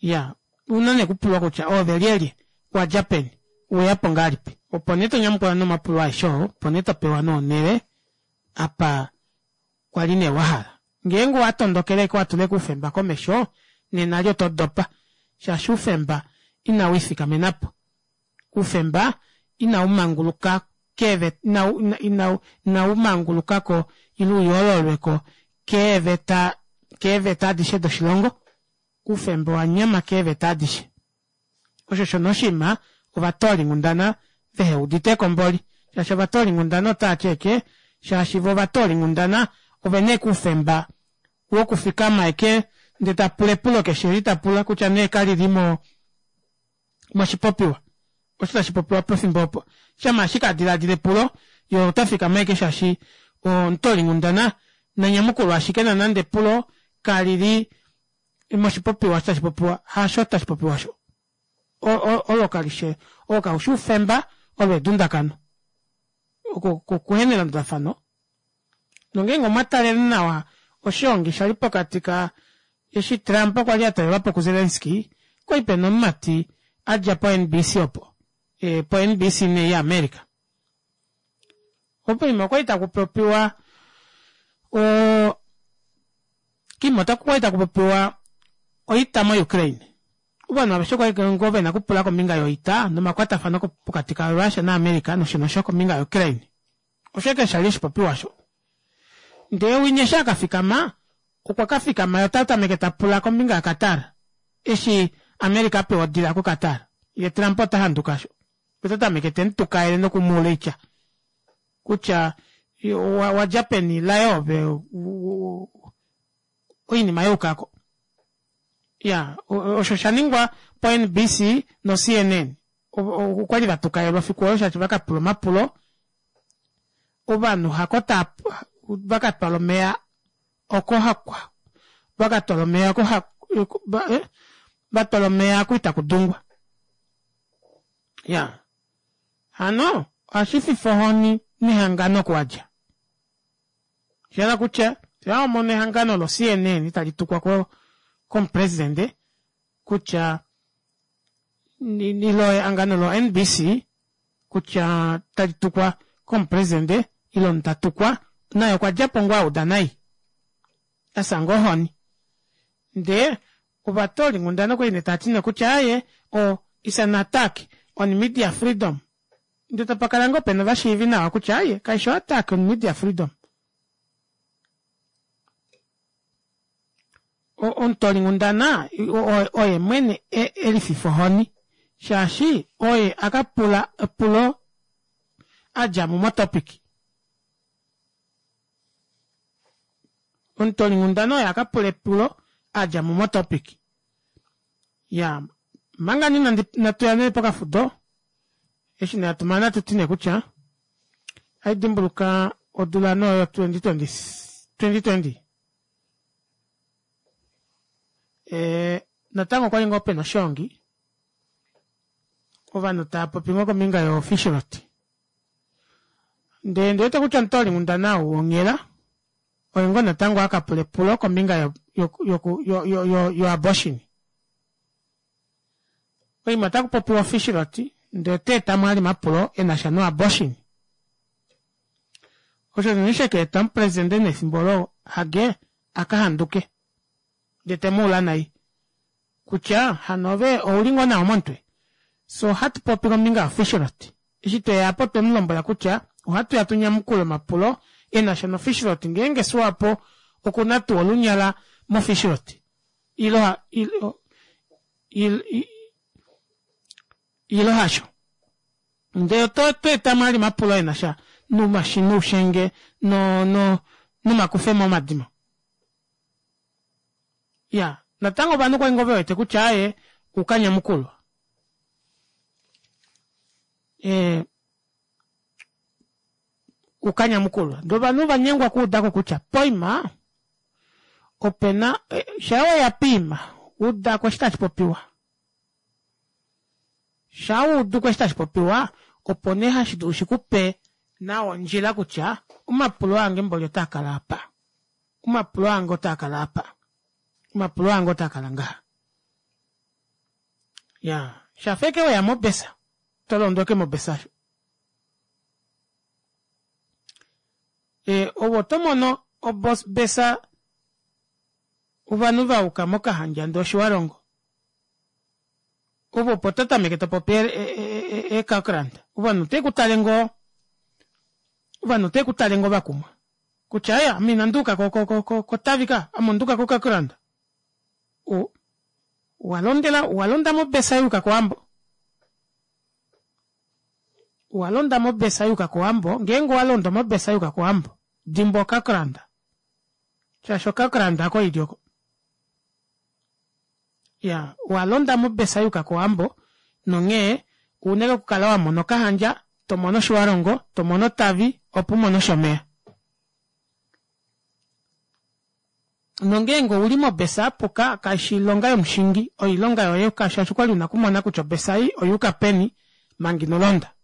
Iyaa ouna nee okupulwa kutya oove lyelye owadja peni oweyapo ngahelipi opo nee tonyamukula nee omapulo aeshe oo opo nee topewa nee onele apa kwali nee wahala. Ngeenge owatondokele ashike watula ashike oufemba komesho nena eli oto dopa shaashi oufemba inawiifikamenapo. Oufemba ina umanguluka keeveta ina inaumangulukako ile uyoololweko keeveta keeveta adishe doshilongo. Oufemba owanyama keeveta adishe. Osho osho nee oshiima ovatoolinghundana veheuditeko mboli shaashi ovatoolinghundana otaati ashike shaashi voo ovatoolinghundana ovena ashike oufemba wokufikama ashike ndee tapula epulo keshe eli tapula kutya nee kalili mo moshipopiwa osho tashipopiwa pefimbo opo shama ashike adilaadila epulo yee otafikama ashike shaashi omutoolinghundana nanyamukulwe ashike nonande epulo kalili moshipopiwa osho tashipopiwa hasho tashipopiwa osho olo kalishi oo kaufi oufemba olo edundakano okuhena elandulafano nongeenge omwatalele nawa oshoongi shali pokati ka eshi Trump kwali atalelwapo ku Zelensky okwali pena omumati adja po N_B_C opo po N_B_C nee ya America poima okwali takupopiwa oo koima okwali takupopiwa oita mo Ukraine ovanhu aveshe okwali ngoo vena okupula kombinga yoita nomakwatafano pokati ka Russia na America nosho nosho kombinga ya Ukraine osho ashike shali oshipopiwa osho ndee winya eshi akafikama okwa kafikama yee otatameke tapula kombinga ya Qatar eshi America apewa odila ko Qatar yee Trump ota handuka osho otatameke temutukaele nokumuula oitya kutya wadja peni laye ove oinima yaukako. Iyaa osho oshaningwa po N_B_C no C_N_N okwali vatukaelwa efiku olo shaashi vakapula omapulo ovanhu hako taa vakatwala omeva oko vakatwala omeva oko vatwala omeva oko itakudungwa. Iyaa hano ohashififa ohoni nehangano oku wadja oshahala kutya shawamono ehangano lo C_N_N talitukwa komupresident kutya ile ehangano lo N_B_C kutya talitukwa komupresident ile omunhu tatukwa naye okwadjapo ngoo auda nai afya ngoo ohoni ndee ovatoolinghundana okwali nee taati nee kutya aaye o it's an attack on media freedom ndee tapakala ngoo pena ovashiivi nawa kutya aaye kaifi o attack on media freedom omutoolinghundana oye mwene elififa ohoni shaashi oye akapula epulo adjamo mo topic. Omutoolinghundana oye aka pula epulo adja mo motopic. Iyaa manga nee natuya nee pokafudo eshi nee hatumane ohatuti nee kutya ohaidimbuluka odula nee oyo twenty twenty twenty ee natango okwali ngoo pena oshoongi ovanhu taapopi ngoo kombinga yo fishrot ndee ondiwete kutya omutoolinghundana ou wonghela oye ngoo natango akapula epulo kombinga yo abortion. Oima otakupopiwa ofishrot ndee otaetamo vali omapulo enasha no abortion. Osho nee shakaeta omupresident efimbo olo Hage akahanduke ndee temuula nai kutya hano ove ouli ngoo nawa momutwe. Fyee ohatupopi kombinga yo fishrot eshi tweya aapa otwemulombwela kutya ohatuya tunyamukule omapulo enasha no fishrot ngeenge swapo okuna tuu olunyala mo fishrot ile ile hasho. Ndee otweetamo vali omapulo enasha noushenge no no nomakufemo momadimo. Iyaa natango ovanhu okwali ngoo vewete kutya aaye oukanyamukulwa. Ee oukanyamukulwa ndee ovanhu ovanyengwa okuudako kutya poima opena shaa weya poima udako eshi tashipopiwa shaa wauduko eshi tashipopiwa opo nee hashidulu shikupe nawa ondjila kutya omapulo ange mboli otaakala aapa omapulo ange otaakala aapa omapulo ange otaakala ngaha iyaa shafa ashike weya mobesa tolondo ashike mobesa aasho ee ove otomono obesa ovanhu vayuka mokahandja ndee otjiwarongo ove opo totameke topopi ee kalkrand ovanhu otavekutale ngoo ovanhu otavekutale ngoo vakumwa kutya aaye ame inanduuka kotavi ka ame onduuka ko kalkrand owalondela owalonda mobesa yuuka kowambo owalonda mobesa yuuka kowambo ngeenge owalondo mobesa yuuka kowambo dimbwa okalkrand shaashi okalkrand hako ili oko iyaa owalonda mobesa yuuka kowambo nonghee ouna ashike okukala wamona okahandja tomono otjiwarongo tomono otavi opo umone oshomeya. Nongeenge ouli mobesa yapuka kaifi oilonga yomushingi oilonga yoye shaashi okwali una okumona kutya obesa ei oyuuka peni manga inolonda.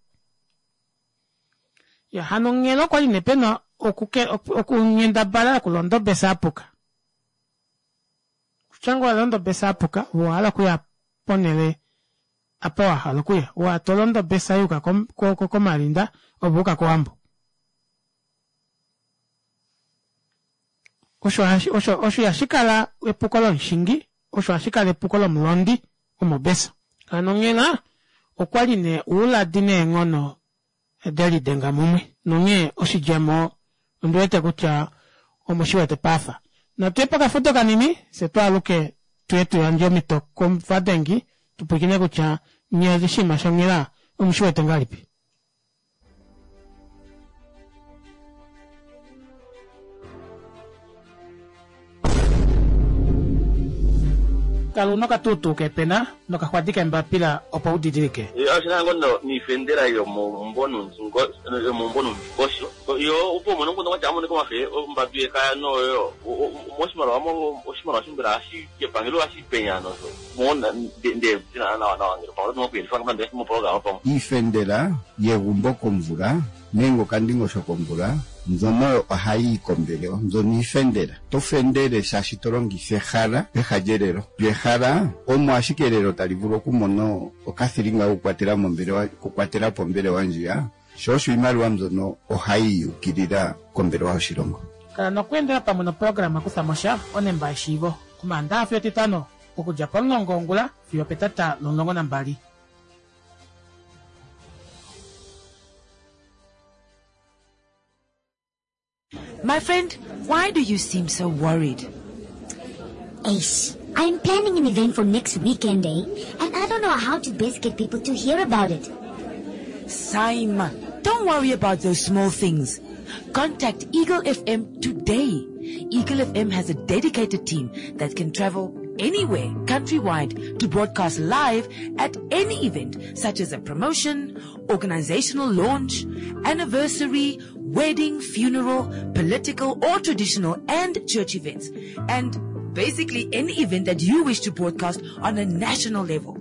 Iyaa hano onghela okwali nee pena okunghendabala yokulonda obesa yapuka. Kutya ngoo owalonda obesa yapuka ove owahala okuya ponele apa wahala okuya ove tolondo obesa yuuka komalinda ove owayuka kowambo. Osho osho ihashikala epuko lomushingi osho ohashikala epuko lomulondi womobesa. Hano onghela okwali nee ouladi neenghono delidenga mumwe nonghee oshidjemo ondiwete kutya omushiwete paafa. Natuye pokafudo kanini fyee twaaluke tuye tuyandje omito kovadengi tupwilikine kutya nyee oshinima shonghela omushiwete ngahelipi. Kala una okatuutuu keepena nokaxwadi keembapila opo udidilike. Oshina ngoo noifendela yomeumbo nomundingosho yo opo umone omukundu watya amonike omafe ombadu yekaya noyo oshimaliwa oshimaliwa shimbela shepangelo ohashi penya nosho nawa nawa ngele pamwe okuyelifa moprograma pamwe. Iifendela yegumbo komvula nenge okandingosho komvula mbyono ohayi yi kombelewa mbyono iifendela to fendele shaashi to longitha ehala peha lyelelo lyo ehala omo ashike elelo tali vulu okumona okathilinga kokukwatela mombelewa okukwatela po ombelewa ndjiya sho osho iimaliwa mbyono ohayi yukilila kombelewa yoshilongo. Kala nokweendela pamwe noprograma Kuthamosha onemba yeshiivo Omaandaxa fiyo Etitano okudja pomulongo wongula fiyo opetata lomulongo nambali. My friend, why do you seem so worried? Ace, I'm planning an event for next weekend, eh? And I don't know how to best get people to hear about it. Saima, don't worry about those small things. Contact Eagle F M today. Eagle F M has a dedicated team that can travel anywhere countrywide to broadcast live at any event, such as a promotion, organizational launch, anniversary, wedding, funeral, political or traditional and church events, and basically any event that you wish to broadcast on a national level.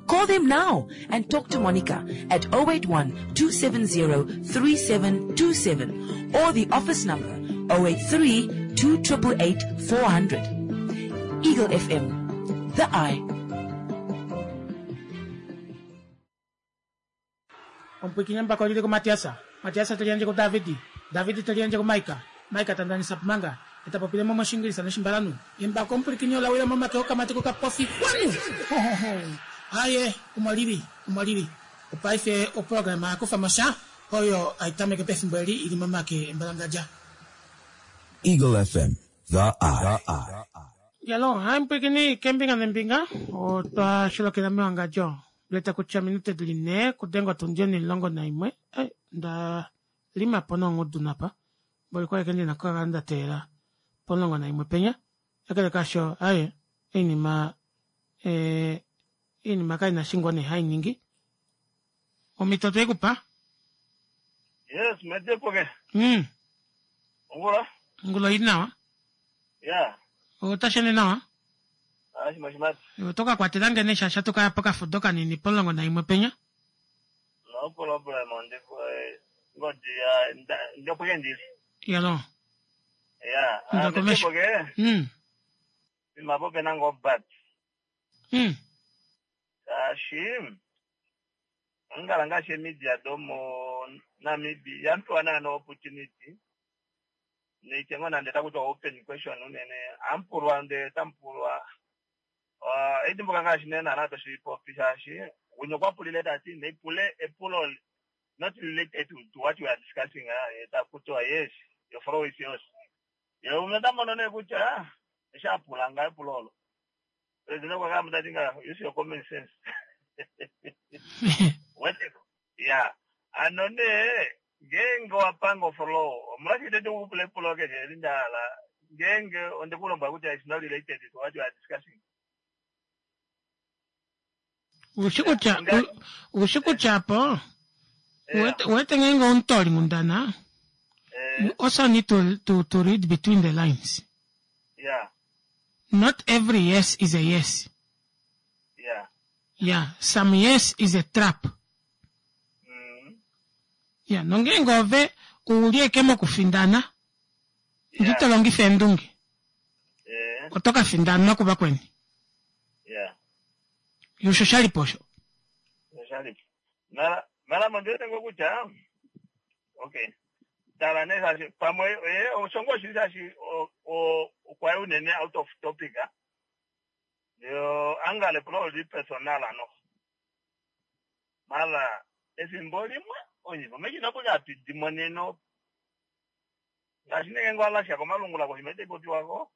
Call them now and talk to Monica at oh eight one, two seven zero, three seven two seven or the office number oh eight three, two triple eight, four hundred. Eagle F M, the eye. Omupwikinye mbako lili ku Matiasa. Matiasa teliandje ku Davidi. Davidi teliandje ku Maika. Maika tandanisa pumanga. Etapopile mo moshingilisa noshimbalanu. Embako omupwikinye olawila momake okamati kokapofi. Wanu! Ho, ho, ho. Aye, umwalili, umwalili. Opaife oprograma yakufa mosha, oyo aitameke pefimbo eli ili momake embalangadja. Eagle F M, the eye. Yalo, hai mpwikini kembinga nembinga, otwa shilokela mewangadjo. Leta kutya minute dili ne, kudenga tundio ni longo na imwe. Eh, nda lima pono ngudu napa. Boli kwa kendi na kwa nda tera. Polongo na imwe penya. Akele kasho, aye, inima, eh, inima kai na shingwa ne hai nyingi. Omitoto ekupa? Yes, medepoke. Mm. Ngula? Ngula inawa? Yeah. Otashene nawa? Ah, shima shima. Otoka kwatela ngene shasha toka poka fudoka nini polongo na imwe penya? No problem, ndiko ngodi ya ndopoke ndili. Yalo. Yeah. Ndakomesha. Mm. Mabope nango bat. Mm. Ashim. Ngala ngashe media domo Namibia yampewa na opportunity. Neitengo na ndeta kutwa open question unene ampulwa ndeta mpulwa. Uh, edimbuka ngashi nena na to shipopi shashi. Unyo kwa pulile tati ne pule epulo not related to, to what we are discussing ah eta kutwa yes your flow is yours. Yo mnatamba none kutya shapula nga epulolo. President kwa kama ndatinga use your common sense. What? Yeah. Anone ngengo apango flow. Mraki tetu kupule pulo ke ndala. Ngenge onde kulomba kuti it's not related to what you are discussing. Ushikucha ushikucha po. Wete ngengo untori mundana. You also need to to to read between the lines. Yeah. Not every yes is a yes. Yeah. Yeah, some yes is a trap. Mm. Yeah, nongengo ove ulieke mokufindana. Ndito longifa endunge. Yeah. Otoka findana kuba kweni. Yeah. Yusho shaliposho. Shalipo. Mara mara mandete ngokucha. Okay. Tala nesa pamwe eh osongo shilisashi o o kwa unene out of topic ah. Yo angale pro li personal ano. Mala efimbo limwe onyivo mekina kuja pidimoneno. Ngashine ngwala sha komalungula ko himete popiwako.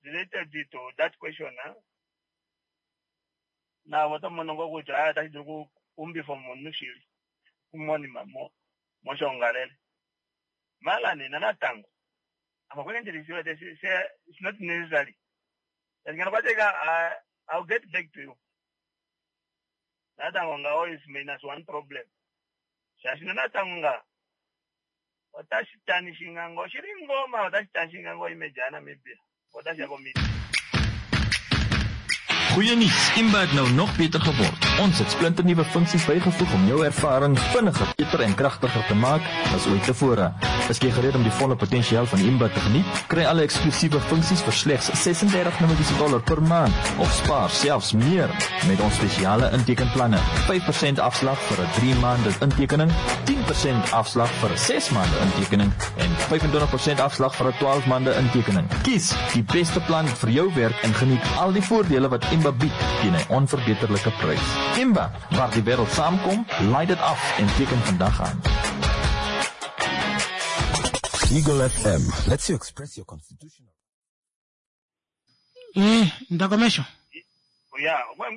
Related to that question ah. Na wata monongo kuja ah tashi duku umbi for monushili. Kumoni mamo moshongalele. Mala ni nanatango. It's not necessary. I'll get back to you. Natango always minus one problem. Shashina natango. Watashitani shingango. Shiringoma watashitani shingango imejana maybe. Watashako Goeie nuus, Imba het nou nog beter geword. Ons het splinternuwe funksies bygevoeg om jou ervaring vinniger, beter en kragtiger te maak as ooit tevore. Is jy gereed om die volle potensiaal van Imba te geniet? Kry alle eksklusiewe funksies vir slegs ses-en-dertig Namibiese dollar per maand of spaar selfs meer met ons spesiale intekenplanne. vyf persent afslag vir 'n drie maande intekening, tien persent afslag vir 'n ses maande intekening en vyf-en-twintig persent afslag vir 'n twaalf maande intekening. Kies die beste plan vir jou werk en geniet al die voordele wat Imba bied teen 'n onverbeterlike prys. Imba, waar die wêreld saamkom, laai dit af en teken vandag aan. Eagle F M lets you express your constitutional. Eh, ndakomesho. Ya, ngwe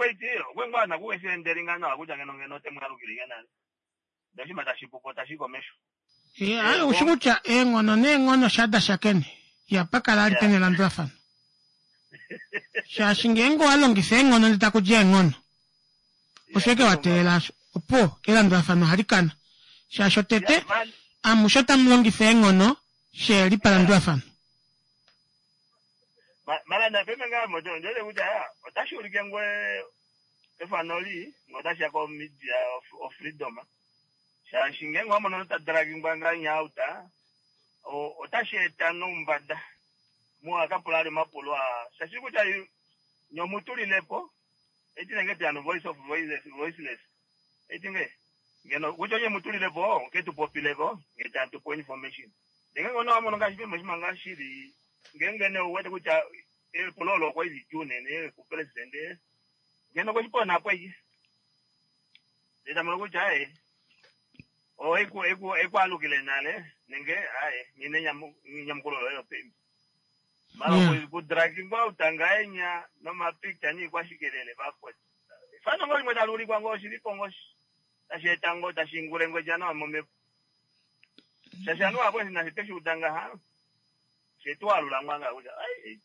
ngwe na kuwe nderingana akuja ngeno ngeno temwarukirigana. Ndashima tashipuko tashikomesho. Eh, ayo ushikucha engono nengono shada shakeni. Ihapa kala ali pena elandulafano. Shaashi ngeenge owalongifa eenghono ndee takudi eenghono, osho ashike wateelela osho, opuwo elandulafano ohali kana. Shaashi otete amushe otamulongifa eenghono sheheli palandulafano. Mara napeme ngaa moto ndiwete kutya otashi ulike ngwe efano li ngee otashiya ko media of, of freedom shaashi ngeenge wamono ta dragingwa ngahenya out otashi eta noumbada muwakapula ali omapulo aa shaashi kutya nye omutulilepo eti nenge tuyano voice of voiceless, voiceless eti nge ngeno kutya onye mutulilepo ke tupopileko nge tatupo information ndenge ngono wamono ngaashi pembo shimanga shili ngeenge ne uwete kutya epulo olo okwa li lidjuu unene kupresidente ngeno okweshi po eke ndee tamono kutya aye o eku eku ekwaalukile nale nenge aye nyine nyamukulo loye opembi mara yeah. kudragingwa utangahenya nomapicture niikwashikelele vakoti efano ngo limwe tali ulikwa ngo oshilipo ngo tashi eta ngo tashi ingule ngwedja nawa momhepo shaashi anuwa apo nashi tweshi uda ngaha shetualula ngwanga kutya ai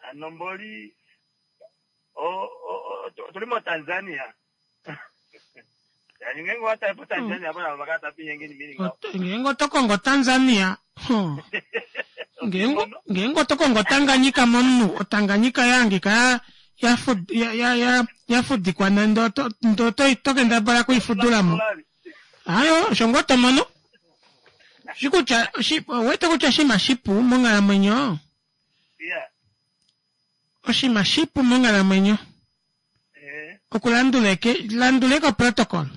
ano mboli tuli mo Tanzania. Ngeenge oto kongo Tanzania, ngeenge oto kongo Tanganyika momunhu, oTanganyika yahangika yafudikwa nande oto kendabala okuifudulamo. Ayo, osho ngoo tomono. Shikutya, owete kutya oshinima shipu monghalamwenyo? Oshinima shipu monghalamwenyo. Okulandula landula protocol.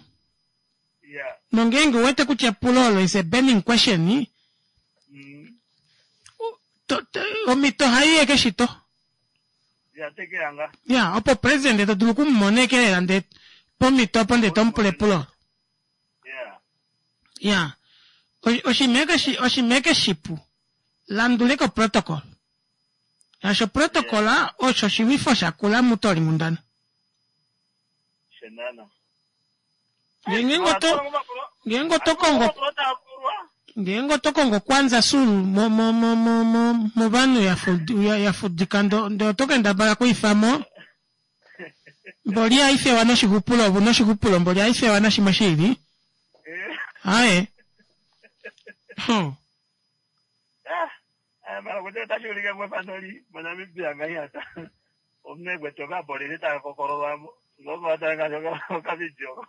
Nongeenge uwete kutya epulo olo is a burning question, omhito ohai eke shito. Ya, opo president to dulu okumumona eke lela ndee pomhito opo ndee tomupula epulo olo. Ya, oshinima eke shipu, landula eke oprotocol. Shaashi oprotocol osho oshilwifo shakula mutoolinghundana. Ngeenge oto kongo ngeenge oto kongo Kwanza Sul mo mo mo mo mo movanhu yafudika ndee oto kendabala okuifamo mboli haifewa noshixupulo ove una oshixupulo mboli haifewa nashimwe shiili. Aye. Mara kutya otashi ulike ngwefano li moNamibia ngahenya omunhu ekwete okapolisi taka kokololwamo ngovatanga okavidio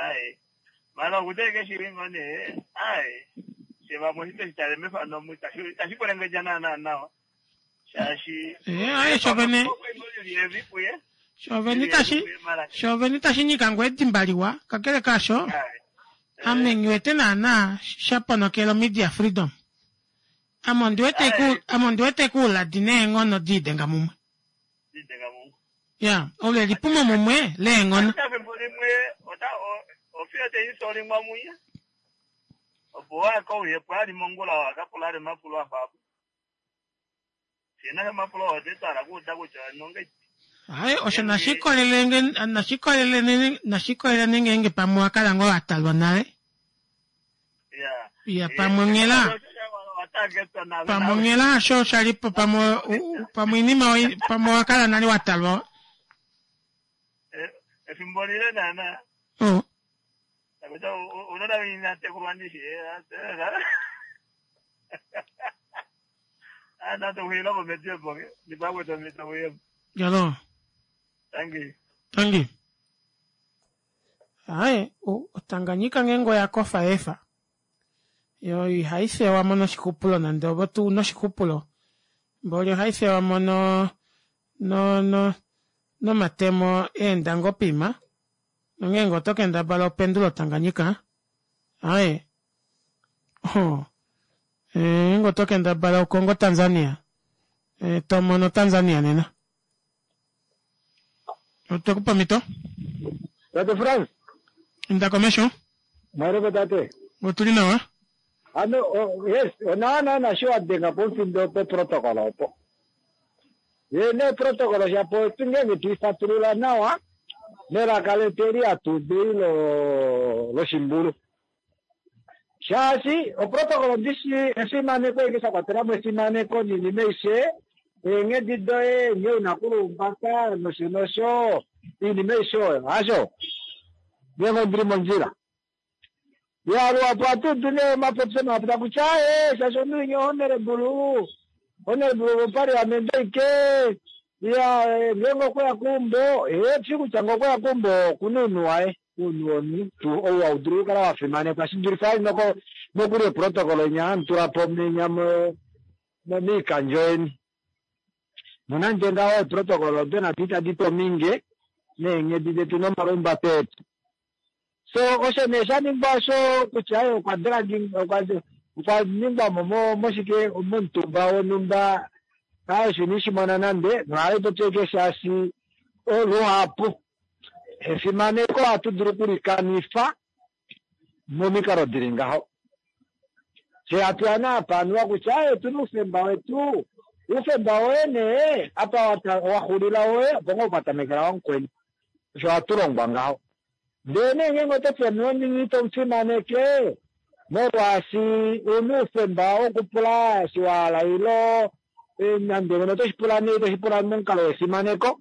aye mara okutya eke shili ngo nee aye shevamwe oshi tweshi mefano omu itashi kwelengedja naana nawa shaashi aye shovene shovene itashi shovene itashi nyika ngoo edimba liwa kakele kaasho ame nghiwete naana shaponokela media freedom. Ame ondiwete kuuladi neenghono diidenga mumwe. Ya, ole lipumo mumwe leenghono. Efimbo limwe ofiyo teisolingwa munya opo wakauyepo ali mongula wakapula ali mapulo afapo shina mapulo otetwala kuuda kutya nonge Aye, osho nashikolele nashikolele nashikolele ngeenge pamwe wakala ngoo watalwa nale. Ya, pamwe onghela pamwe onghela osho shalipo pamwe pamwe inima pamwe wakala nale watalwa. Efimbo lile naana. Oh. Kutya unona inatekulwa ndishi. Ana tohuyila momediepo ndipamwe tomitohuyepo. Jalo. Thank you. Thank you. Aye, oTanganyika ngeenge oyakofa efa. Yo ihai fewamo noshixupulo nande ovo tuu noshixupulo. Mboli ohai fewamo no no no nomatemo eenda ngoo poima. Nongeenge oto kendabala opendula oTanganyika. Aye. Oh. Ngeenge oto kendabala okongo Tanzania. E, tomono Tanzania nena. Otwekupa omhito? Tate Frans. Inda komesho. Mwareko tate. Otuli nawa. Ano, oh, yes, onawa naana shi wadenga pomufindo po protocol opo. Ye ne protocol shapo ngeenge tuifatulula nawa melaka letu eli hatu udu lo loshimbulu. Shaashi oprotocol ndishi efimaneko eke sha kwatela mo efimaneko niinima aishe eenghedi doye nghee una kulumbaka nosho nosho iinima aishe oyo hasho ngeenge ondili mondjila. Ya luhapu ohatu nee omapopyo mahapu kutya ee shaashi omunhu winya honorable honorable wopaliamende ike ya ngeenge okweya keumbo ee shi kutya ngee okweya keumbo okuna ounhu waye ounhu womunhu tuu ou haudulu okukala wafimanekwa shidulife ali nokuli eprotocol inya hamutula po menya moikandjo yeni. Nonande ngaho eprotocol odo nado itadi tominge neenghedi detu nomalumbato etu. So osho nee shaningwa osho kutya okwa okwa ningwamo moshike momutumba wonhumba osho inishimona nande nohali popya ashike shaashi luhapu efimaneko ohatu dulu okulikanifa momikalo dili ngaho. Fye hatu ya nee apa anuwa kutya otuna oufemba wetu, oufemba woye nee apa waxulila woye opo ngoo patamekela wamukweni. Osho ohatu longwa ngaho. Ndele nee ngeenge oto fi omunhu ito mufimaneke molwaashi una oufemba wokupula eshi wahala ilo nande ngeno otoshi pula nee itoshi pula momukalo wefimaneko.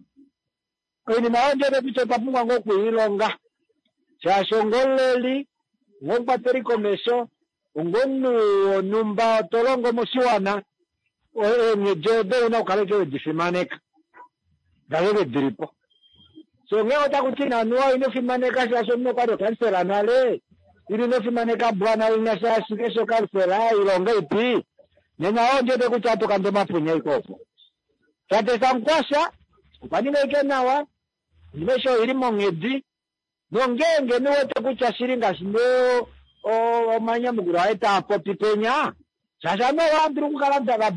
Oinima oyo ndiwete kutya otwa pumbwa ngoo okwiilonga shaashi ongomuleli, ongomukwateli komesho, ongomunhu wonhumba to longo moshiwana, eenghedi odo una okukala ashike wedi fimaneka ngaheke dilipo. So ngee otaku ti anuwa ino fimaneka shaashi omunhu okwali okansela nale, ile ino fimaneka bwana winya shaashi keshi okansela ilonga ipi, nena oyo ndiwete kutya ohatu kande omapunya ashike opo. Tate Sankwasha okwa ninga ashike nawa, oinima aishe oili monghedi, nongeenge niwete kutya shili ngaashi nee omanyamukulo aye taa popi penya, shaashi ovanhu ohava dulu okukala tava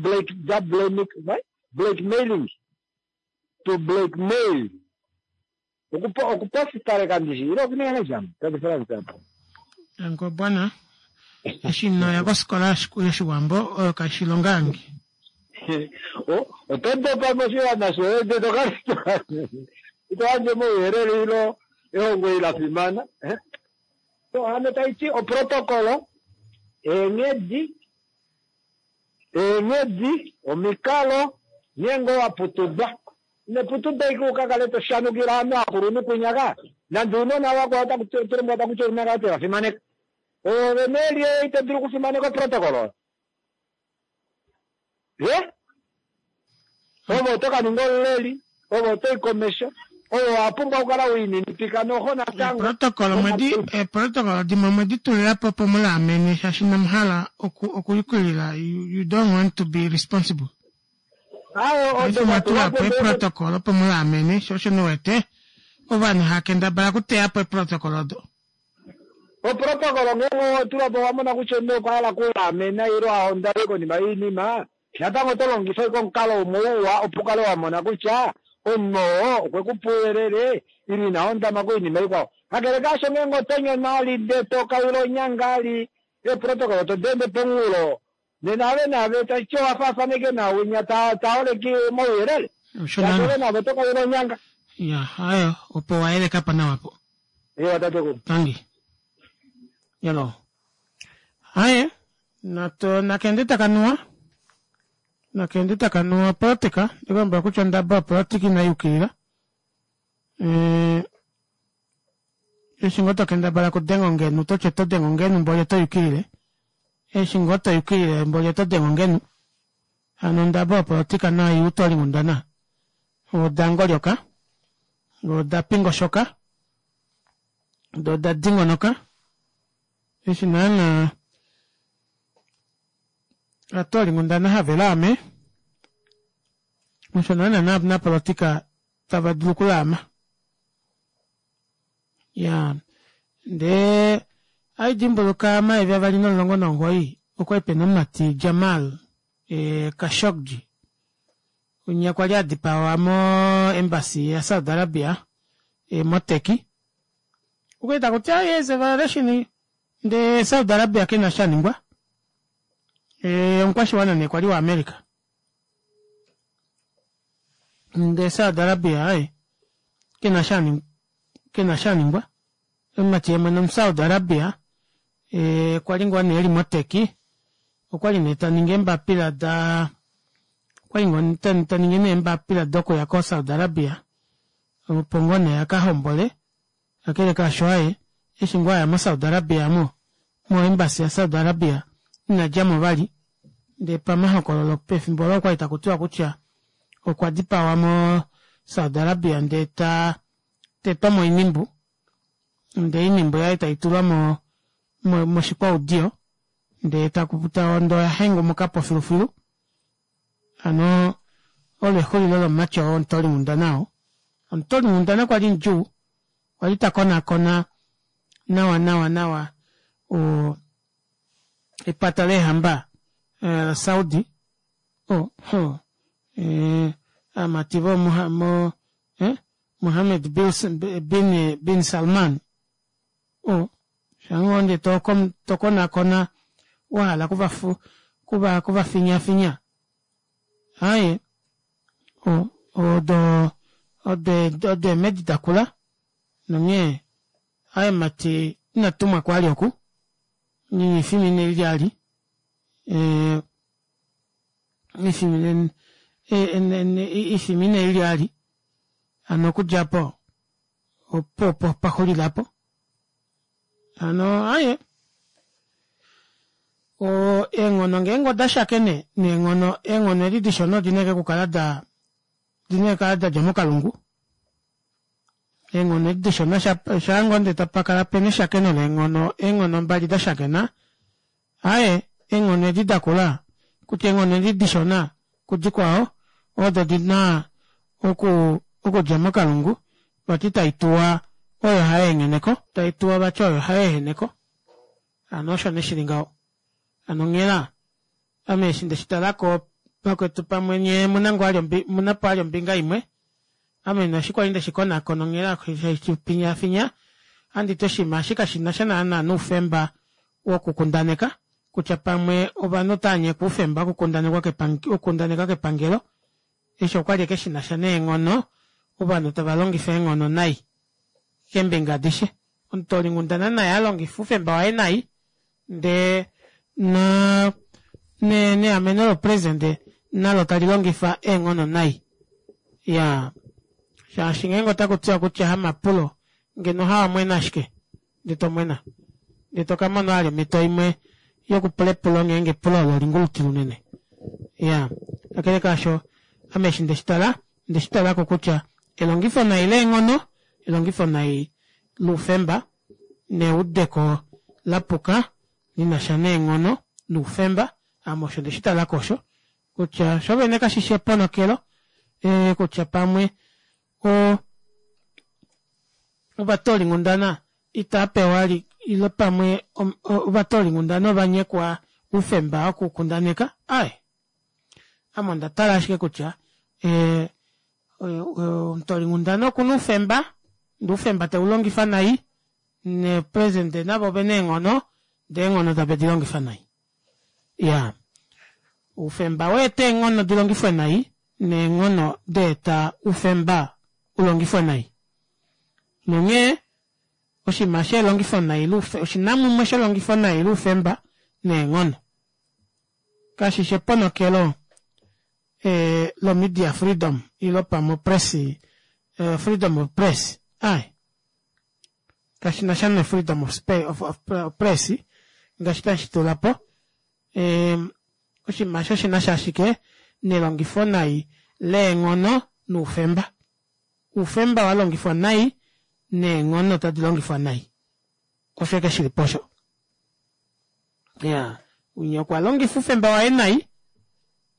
blackmailing, to blackmail, okupositaleka ndishi ile okuninga ngahelipi tate Frans? Danko bwana, eshi inoya kofikola yoshiwambo oyo kaishi ilonga yange. Oto dopa moshiwana shoye ndee tokala ito yandje omauyelele ilo ehongo eli la fimana. So hano taiti oprotocol, eenghedi, eenghedi, omikalo, ngeenge owaputudwa. Ino putudwa ashike ukakale toshanukila ovanhu akulunhu kunyaka, nande ounona vakwao otaku takuti ouna kala tevafimaneka. Ove nee ito dulu okufimaneka oprotocol oyo. Ye? Ove oto ka ninga omuleli, ove otoyi komesho, ove owa pumbwa okukala wiininipika noho natango. Eprotocol omwedi eprotocol dimwe omwedi tulilapo opo mulaamene shaashi inamuhala oku okuyukilila you, you don't want to be responsible. Ayo Paife odo omwa tula po datulwapo ndee eprotocol opo mulaamene sho osho niwete ovanhu hava kendabala okuteya po eprotocol odo. Oprotocol ngeenge owatula po owamona kutya omunhu okwa hala okulaamena ile ahondame konima yoinima, natango oto longifa ashike omukalo umwe uwa opo ukale wamona kutya omunhu oo okwekupa ouyelele ile ina hondama koinima ikwao. Kakele kaasho ngeenge oto nyono ali ndee tokaula onyanga ali eprotocol todeende pomunghulo, nena ave naave tashiti owafaafaneke nawinya taoleke omauyelele. Osho Shaashi naana. ove naave oto kaula onyanga. Ya, ayo opo wayelekapo nawa po. Ewa tatekulu. Tangi. Yalo. Haye, nato nakende takanuwa. Nakende takanuwa politika, ndikulombwela kutya ondaba yopolitika inayi yukilila. Eh, eshi ngoo tokendabala okudenga ongenu toti oto denge ongenu mboli oto yukilile. Eshi ngoo toyukilile mboli oto denge ongenu. Hano ondaba yopolitika nayo utolinghundana. Oda ngolyoka, oda pingoshoka, doo oda dingonoka. Eshi naana ovatolinghundana have laame, osho naana napolitika tava dulu okulaama. Ya, ndee haidimbuluka omayovi avali nomulongo nomugoyi okwali pena omumati Jamal e, Khashoggi winya kwali adipawa mo embassy ya Saudi Arabia e, mo Turkey. Okwali takuti yes violation ndee Saudi Arabia kena shaningwa. E, omukwashiwana nee kwali wa America. Ndee Saudi Arabia aye kena shaningwa kena shaningwa. Omumati yemwene omu Saudi Arabia Eh, kwali ngoo nee eli moteki okwali nee taningi eembapila da okwali ngoo taningi nee eembapila dokuya ko Saudi Arabia opo ngoo nee akahombole kakele kaasho aaye eshi ngoo aya mo Saudi Arabia aamo mo embassy ya Saudi Arabia inadjamo vali ndee pamahokololo pefimbo olo okwali takutiwa kutya okwa dipawa mo Saudi Arabia ndee ta tetwa moinimbu ndee oinimbu yaye taitulwa mo moshikwaudiyo ndee takuta ndee oya hengumukapo filufilu hano olo exulilo lomumati oo omutoolinghundana oo omutoolinghundana kwali mudjuu kwali takonaakona nawa nawa nawa oo epata leehamba la Saudi oh oh aamati vo Mohammed bin Salman oh shangoo ndee tokonaakona wahala okuvafinyafinya aaye odo odo eemedi dakula nonghee aaye mumati inatumwako vali oku efimbo eli efimbo inelilya vali hano okudja aapo opuwo opo paxulila aapo hano aaye oo eenghono ngeenge odashakene neenghono eenghono edi dishona odina ashike okukala daa odina okukala dadja mokalungu eenghono edi dishona shaangoo ndee tapakala pena eshakeno leenghono eenghono mbali dashakena aaye eenghono edi dakula kutya eenghono edi dishona kudikwao odo dina oku okudja mokalungu vati taituwa oyo hayeengheneko taituwa vati oyo hayeeheneko hano osho nee shili ngaho hano onghela ame eshi ndeshitalako vakwetu pamwe nyee omuna ngoo vali omunapo vali ombinga imwe ame nee eshi kwali ndeshikonakona onghela haifinyaafinya ohanditi oshinima eshi kashinasha naana noufemba wokukundaneka kutya pamwe ovanhu otavanyekwa oufemba wokukundaneka kepangelo eshi okwali ashike shinasha neenghono ovanhu tava longifa eenghono nai keembinga adishe omutoolinghundana naye alongifa oufemba waye nai ndee neameno lopresident nalo talilongifa eenghono nai iyaa shaashi ngeenge otakutiwa kutya hamapulo ngeno hawamwena ashike ndee tomwena ndee tokamona vali omito imwe yokupula epulo ngeenge epulo olo olingulutila unene iyaa kakele kaasho ame eshi ndeshitala ondeshitalako kutya elongifo nai leenghono elongifo nai loufemba neudeko lapuka linasha neenghono noufemba ame osho ndeshitalako osho kutya shoovene kashishi eponokelo kutya pamwe oo ovatoolinghundana itaapewa vali ile pamwe ovatoolinghundana ovanyekwa oufemba wokukundaneka aaye ame ondatala ashike kutya omutoolinghundana okuna oufemba ndee oufemba teulongifa nai neepresident navo ovena eenghono ndee eenghono tave dilongifa nai iyaa oufemba oweeta eenghono dilongifwe nai neenghono daeta oufemba ulongifwe nai nonghee oshinima shelongifo nai oshinamumwe shelongifo nai loufemba neenghono kashishi eponokelo lo media freedom ile pamwe opress freedom of press aaye kashinasha no freedom of, of, of press ngaashi tashi tulapo oshinima eshi oshinasha ashike nelongifo nai leenghono noufemba oufemba walongifwa nai neenghono tadi longifwa nai osho ashike shilipo osho iyaa winya okwa longifa oufemba waye nai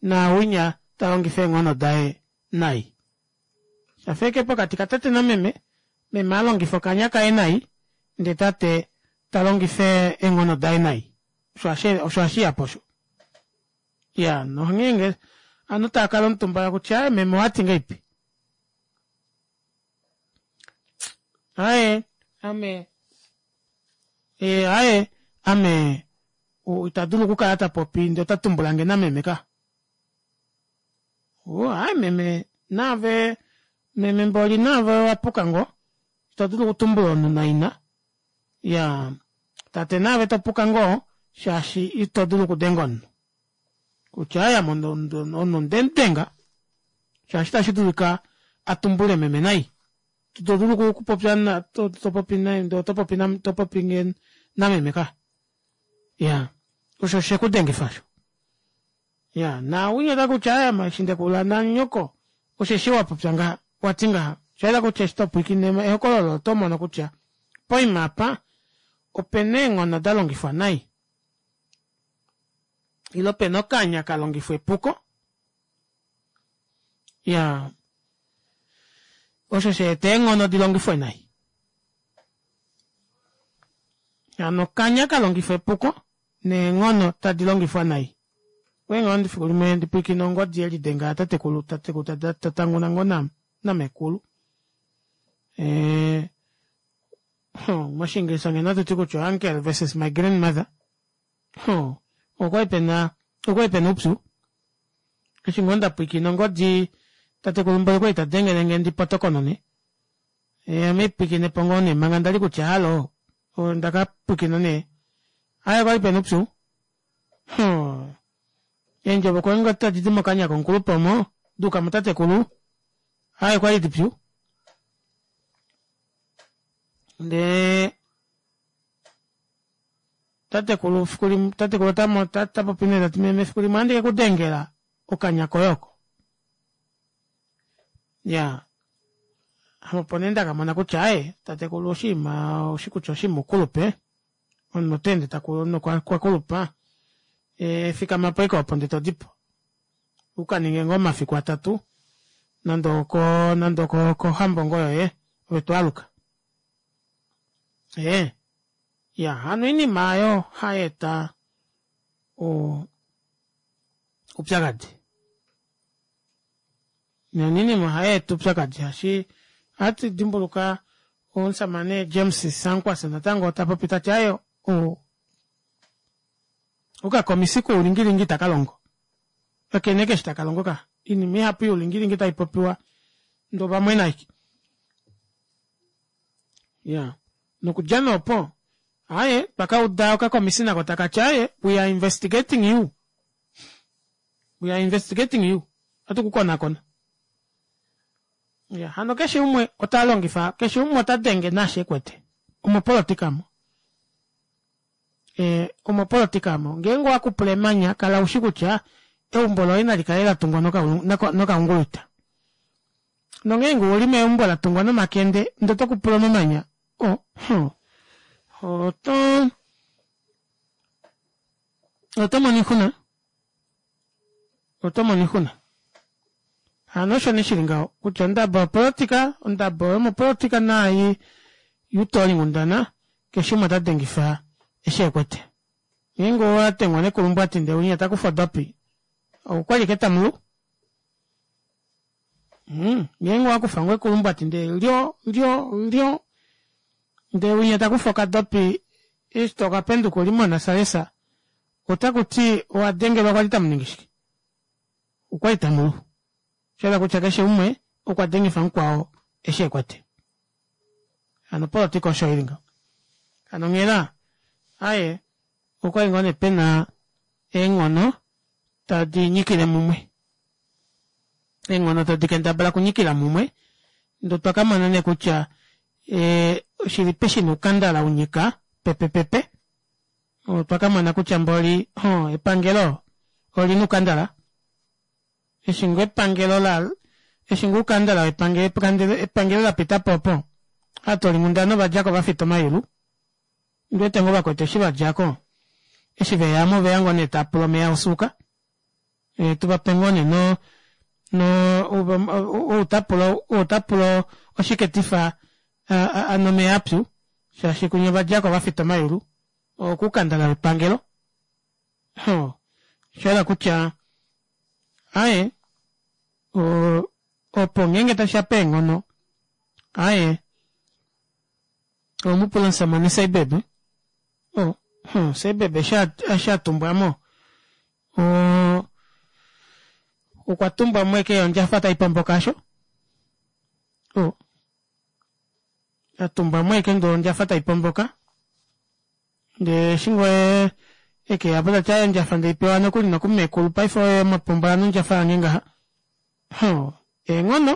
naawinya talongifa eenghono daye nai shafa ashike pokati katate nameme meme alongifa okanya kaye nai ndee tate talongifa eenghono daye nai osho hashiyapo osho iyaa nonghee ovanhu taakala omutumba kutya aaye meme owati ngahelipi aaye ame aaye ame itadulu okukala tapopi ndee ota tumbulange nameme ka oo aaye meme naave meme mboli naave owapuka ngoo ito dulu okutumbula omunhu naina iyaa Tate naave topuka ngoo shaashi ito dulu okudenga omunhu. Kutya aya omunhu ndemudenga shaashi itashi dulika atumbule meme nai. To dulu okupopya topopi topopi topopi nameme ka. Ya osho shekudengifa osho. Ya nawinya takutya aya eshi ndekula nanyoko osheshi wapopya ngaha wati ngaha. Oshaela kutya eshi topwiikine ehokololo oto mono kutya poima apa opena eenghono dalongifwa nai. Ile opena okanya kalongifwa epuko. Ya osho shaeta eenghono dilongifwe nai. Hano okanya kalongifwa epuko neenghono tadi longifwa nai. Okwali ngoo efiku limwe ndipwiikine ongodi yelidenga yatatekulu tatekulu tatanguna ngoo namekulu. Ee moshiingilisa ngeno ohatuti kutya uncle versus my grandmother. Okwali pena okwali pena oupyu. Eshi ngoo ndapwiikina ongodi tatekulu mboli okwali tadengelenge ndipotokonone. Ame haipwiikinepo ngoo nee manga ndali kutya hallo ondaka pwiikina nee aaye okwali pena oupyu. Eendjovo kwali ngoo tadidi mokanya komukulupe omo duuka mutatekulu aaye okwali dipyu. Ndee tatekulu fiku tatekulu otapopi nee tati meme efiku limwe ohandi kekudengela okanya koye oko. Iyaa ame opo nee ndakamona kutya aaye tatekulu oshiima oushi kutya oshiima oukulupe omunhu otaende takulu omunhu okwakulupa fikamapo ashike opo ndee todipo ukaninge ngoo omafiku atatu nande oko nande okohambo ngoo yoye ove twaaluka. Ee iya hano oinima aayo hayeeta oupyakadi. Oinima ohayeeta oupyakadi shaashi ohatu dimbuluka omushamane James Sankwasa natango tapopi tati aaye okakomisi koulingilingi itakalongo. Kakena ashike eshi takalongo ka. Oinima ihapu youlingilingi taipopiwa ndee ovamwena ashike. Iyaa nokudja nee opo aaye twakauda okakomisi nako takati aaye we are investigating you. We are investigating you. Ohatu kukonakona. Iya hano keshe umwe ota longifa keshe umwe ota denge naashi ekwete. Omopolitika omo. Ee omopolitika omo. Ngeenge owakupula emanya kala ushi kutya eumbo loye nali kale latungwa nokaungulwita. Nongeenge ouli meumbo latungwa nomakende ndee otokupula omamanya oh oto otomono oixuna. Otomono oixuna. Hano osho nee shili ngaho kutya ondabo yopolitika ondabo yomopolitika naai youtolinghundana keshe umwe otadengifa eshi ekwete. Ngeenge owadengwa nekulumbwati ndee winya takufa odopi okwali ashike tamulu. Ngeenge owakufa ngoo ekulumbwati ndee lyo lyo lyo ndee winya takufa okadopi eshi tokapenduka uli monasalesa otakuti owadengelwa kwali tamuningi shike? Okwali tamulu. Oshahala kutya keshe umwe okwa dengifa mukwao eshi ekwete. Hano opolitika osho ili ngaho. Hano onghela aaye okwali ngoo nee pena eenghono tadi nyikile mumwe. Eenghono tadi kendabala okunyikila mumwe ndee otwa kamona nee kutya oshilipi shina oukandala unyika pepepepe. Otwa kamona kutya mboli epangelo olina oukandala. Eshi ngoo epangelo la eshi ngoo oukandala wepangelo lapitapo opo ovatoolinghundana ovadjako vafita omayulu. Ondiwete ngoo vakwetu eshi vadjako eshi veyamo oveya ngoo nee taapula omeva osuuka. Tuvape ngoo nee no no ou tapula ou tapula oshiketifa anwe omeva apyu shaashi kunya ovadjako vafita omayulu okoukandala wepangelo. Oshahala kutya aaye opo ngeenge tashiya peenghono aaye owemupula omushamane Seibeb Seibeb eshi atumbwamo okwa tumbwamo ashike ondjafa taipomboka aasho. Atumbwamo ashike ndee ondjafa taipomboka. Ndee eshi ngoo ee ekeyapo tati aaye ondjafa ndeipewa nokuli nokumekulu paife oye mwapombola nondjafa yange ngaha hoo eenghono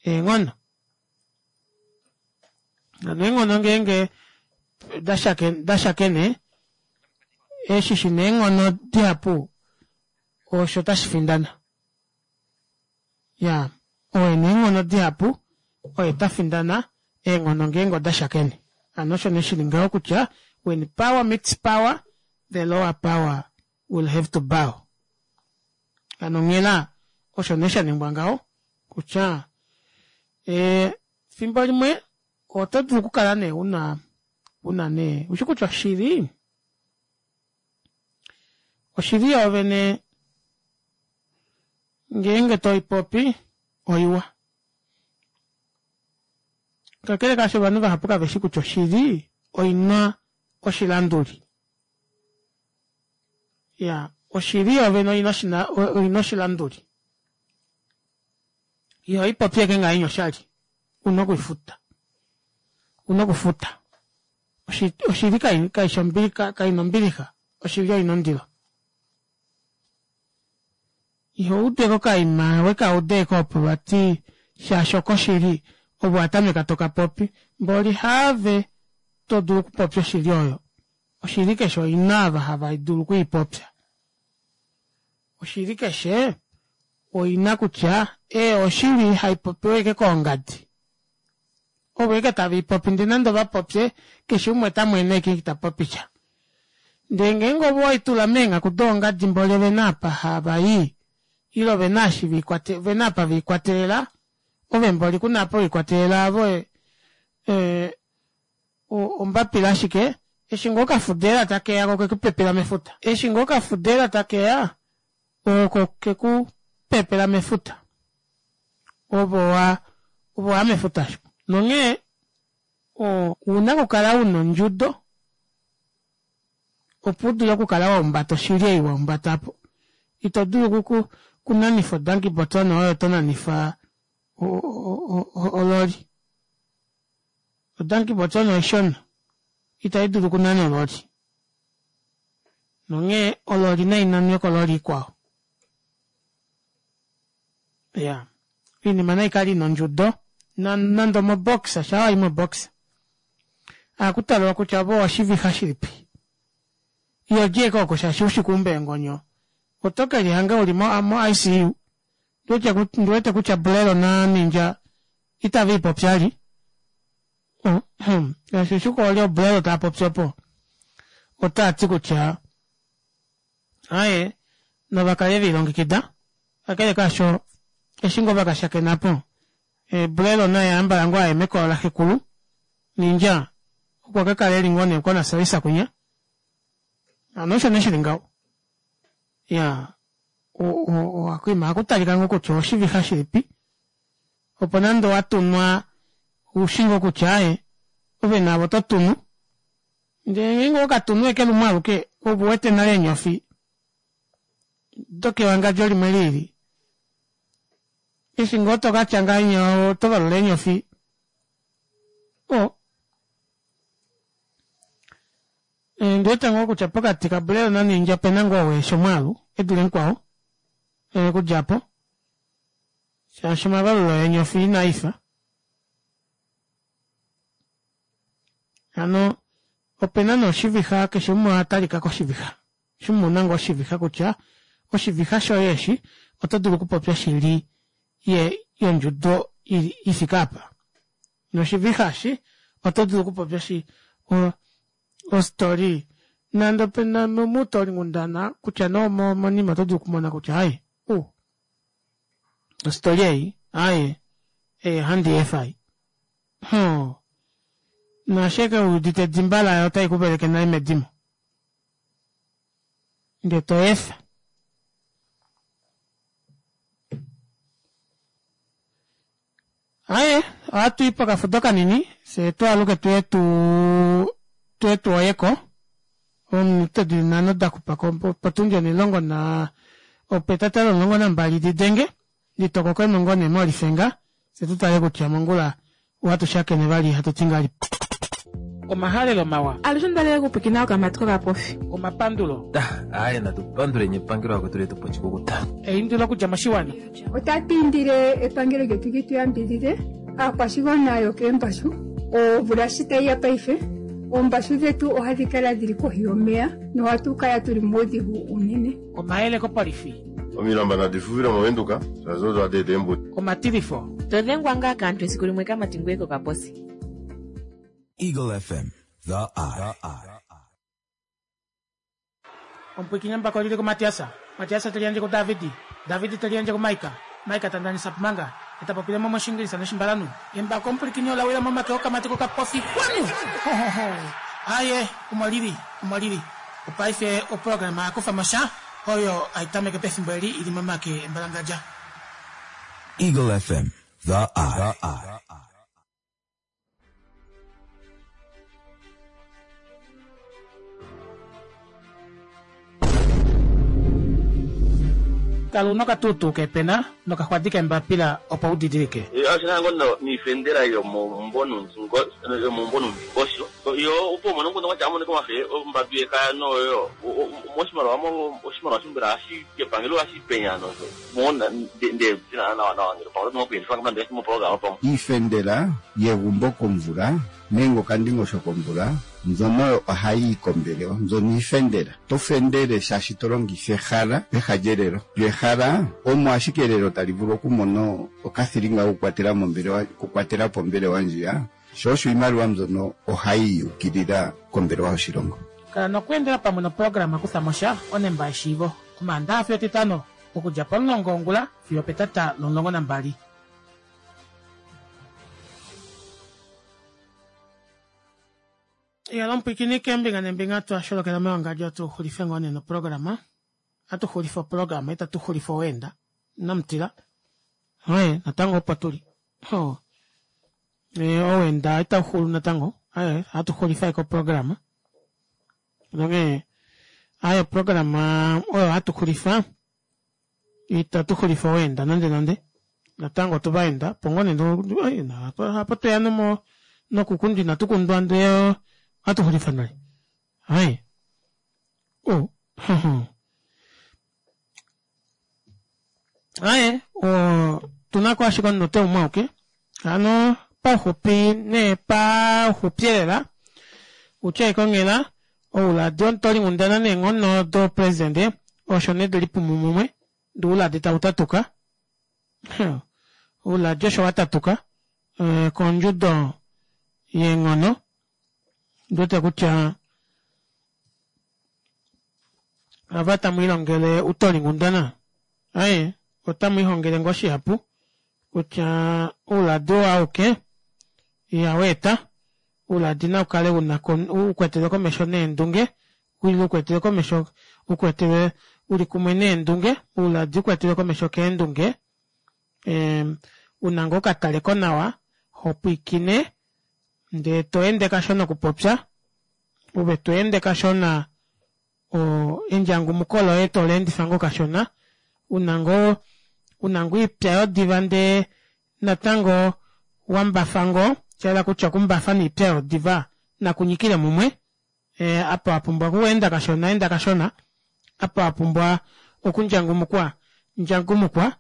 eenghono hano eenghono ngeenge dashakene eshi shina eenghono dihapu osho tashifindana iyaa ou ena eenghono dihapu oye tafindana eenghono ngeenge odashakene hano osho nee shili ngaho kutya when power meets power the lower power will have to bow hano onghela osho nee shaningwa ngaho kutya ee fimbo limwe oto dulu okukala nee una una nee ushi kutya oshili oshili yoovene ngeenge toipopi oiwa kakele kaasho ovanhu vahapu kaveshi kutya oshili oina oshilanduli iya oshili yoovene oina oshilanduli ihoipopi ashike ngahenya oshali una okwiifuta una okufuta oshili kaifi kaina ombilixa oshili oina ondilo ihoudeko okaima wekauda ashike opo vati shaashi okoshili ove owatameka tokapopi mboli haave todulu okupopya oshili oyo oshili keshe oina ava hava dulu okwiipopya oshili keshe oina kutya ee oshili haipopiwa ashike koongadi ovo ashike taveipopi ndee nande ovapopye keshe umwe otamwene ashike itapopisha ndee ngeenge ove oweitula meenghaku doongadi mboli ovena apa havayi ile ovena eshi ovena apa velikwatelela ove mboli kuna apa welikwatelela ove ee ombapila ashike eshi ngoo okafudeela takeya ko okekupepela mefuta eshi ngoo okafudeela takeya oko kekupepela mefuta ove owa ove owaya mefuta osho nonghee ouna okukala una ondjudo opo udule okukala wahumbata oshili ei wahumbata aapo ito dulu okunanifa odanki botswana oyo tonanifa ololi odanki botswana oishona itaidulu okunana ololi nonghee ololi nainanwe kololi ikwao iya oinima naikale ina ondjudo nande omoboxa shaa wayi moboxa ohakutalwa kutya ove owashivixa shilipi ihodji ashike oko shaashi ushi okuumba eengonyo oto kelihanga uli mo I C U ndiwete kutya Bulelo na Ninja itaviipopi vali shaashi oshuku oli Bulelo taapopi opo otaati kutya aaye navakale velilongekida kakele kaasho eshi ngoo vakashakena aapo Bulelo naye ambala ngoo aye mekolo laxekulu Ninja okwa kakala eli ngoo nee konasalisa kwinya hano osho nee shili ngaho iyaa okoima ohakutalika ngoo kutya owashivixa shilipi opo nande owatunwa oushi ngoo kutya aaye ove naave oto tunu ndee ngeenge owakatunu ashike lumwe aluke ove ouwete nale eenyofi dokewangadjo limwe lilili eshi ngoo tokatya ngahenya oto valula eenyofi o ondiwete ngoo kutya pokati ka Bulelo na Ninja opena ngoo ou eshi omwaalu edule mukwao okudja aapo shaashi omavalulo eenyofi inaifa hano opena nee oshivixa keshe umwe ohatalika koshivixa shimwe ouna ngoo oshivixa kutya oshivixa shoye eshi oto dulu okupopya oshili yondjudo ifike aapa noshivixa eshi oto dulu okupopya ostory nande opena mutoolinghundana kutya nee omonima oto dulu okumona kutya aaye u ostory ei aaye ei ohandi yeefa ei hoo naashi ashike wuudite edimba layo otai kuveleke nale medimo ndee toyeefa aaye ohatui pokafudo kanini fyee twaaluke tuye tuu tuye tuoyeko ominute dili nhano daxupako potundi onhilongo na opetata lomulongo nambali didenge litokoko emulongo nhee molifenga fyee tutale kutya mongula ohatu shakene vali hatuti ngahelipi. Omahalelo mawa. Alushe ondalele okupwikina okamati kokapofi. Omapandulo. Aye natupanduleni epangelo akwetu letu pochikukuta. Eindilo okudja moshiwana. Otatu indile epangelo lyetu li tu yambidhidhe aakwashigwana yokeembashu omvula shi tayi ya paife oombashu dhetu ohadhi kala dhili kohi yomeya nohatu kala tuli muudhigu unene. Omayele kopolifi. Omilamba nadi fufile movenduka shaashi odo hadi eta eembudi. Omatilifo. Todhengwa ngaa kaantu esiku limwe kamati ngweye kokaposi. Eagle F M, The Eye. Omupwiikini mbako lili kuMatiasa. Matiasa teli yandje kuDavidi. Davidi teli yandje kuMaika. Maika tandanisa pumanga. Eta popile mo moshingilisa noshimbalanu. Embako omupwiikini olawila momake okamati kokapofi. Kwanu! Ho, ho, ho. Aye, omo lili, omo lili. Opaife oprograma yakufa mosha oyo aitameke pefimbo eli ili momake embalangadja. Eagle F M, The Eye. Kala una okatutu kepena nokaxwadi kembapila opo udidilike. Ashina ngono niifendela yomombonundingosho yo opo mono ngono wacha amone komafe ombadu yekaya noyo moshimaliwa mo oshimaliwa shimbela ashi kepangelo ashi penya nozo mona nde tina na na ngelo pamwe nokuyelifa ngamande mo program pamwe. Iifendela yegumbo komvula nenge okandingosho komvula mbyono ohayi yi kombelewa, mbyono iifendela. To fendele shaashi to longitha ehala peha lyelelo. Lyo ehala omo ashike elelo tali vulu okumona okathilinga okukwatela mombelewa, okukwatela po ombelewa ndjiya. Sho osho iimaliwa mbyono ohayi yukilila kombelewa yoshilongo. Kala nokweendela pamwe noprograma kutha mosha onemba yeshiivo. Omaandaha fiyo Etitano okudja pomulongo wongula fiyo petata lomulongo nambali. Ya lomupwikini keembinga nembinga twasholokela mewangadjo atuxulife ngoo nee noprograma. Atuxulifa oprograma itatu xulifa oweenda namutila. Aye natango opo tuli. Oh. E, oweenda itauxulu natango. Aye atuxulifa eko programa. Nonge aye oprograma oyo atuxulifa itatu xulifa oweenda nande nande. Natango tuvaenda pongo nee apo tweya nomo nokukundwa inatu kundwa ndee atuxulifa nale. Aye. Oh. Aye, o tunako ashike omunute umwe auke. Hano pauxupi nee pauxupielela utya ikongela ouladi omutolinghundana neenghono dopresidente osho nee delipumu mumwe ndee ouladi tautatuka. Ouladi osho watatuka e, kondjudo yeenghono. Ndiwete kutya ava tamwiilongele utolinghundana aye otamwiihongele ngoo shihapu kutya ouladi oo auke ihaweeta. Ouladi naukale una ukwetele komesho neendunge, ile ukwetele komesho ukwetele uli kumwe neendunge, ouladi ukwetele komesho keendunge. E, una ngoo okataleko nawa hopwiikine ndee to ende kashona okupopya ove to ende kashona o endjangumuko loye toleendifa ngoo kashona una ngoo una ngoo oipya yodiva ndee natango wambafa ngoo shahala kutya okumbafa noipya yodiva nakunyikile mumwe. E, apo apumbwa okuenda kashona enda kashona, apo apumbwa okundjangumukwa ndjangumukwa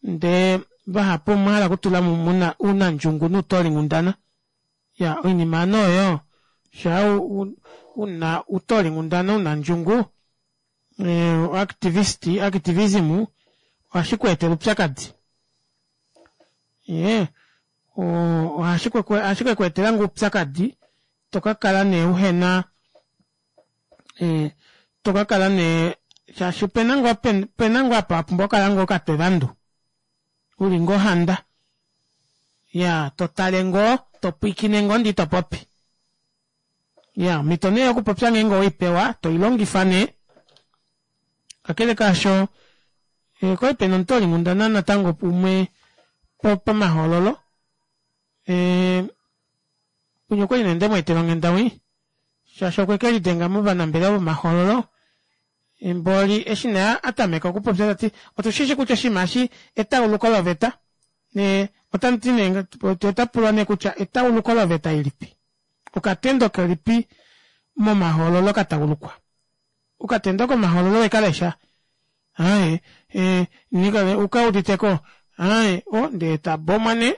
ndee vahapu omwahala okutula muna unandjungu nuutolinghundana. Ya oinima ano oyo shaa una utolinghundana unandjungu e, activist activism ohashi ku etele upyakadi. Ye ohashi ke ku etela ngoo upyakadi tokakala nee uhena e, tokakala nee shaashi opena ngoo pena ngoo apa apumbwa okukala ngoo okatwevandu uli ngoo handa ya totale ngoo topwiikine ngoo ndee itopopi. Ya omhito nee yokupopya ngeenge oweipewa toilongifa nee. Kakele kaasho e, kwali pena omutolinghundana natango umwe pomahoololo e, punye okwali nee ndemweetela onghenda wii shaashi okwe kelidenga movanambelewa vomahoololo. Mboli eshi nee atameka okupopya tati otushishi kutya oshinima eshi etauluko loveta ne otamuti nee otapulwa nee kutya etauluko loveta ilipi. Okatendo kelipi momahoololo ka taulukwa? Okatendo komahoololo wekalesha? Aaye ee nikale ukauditeko? Aaye o ndee tabomwa nee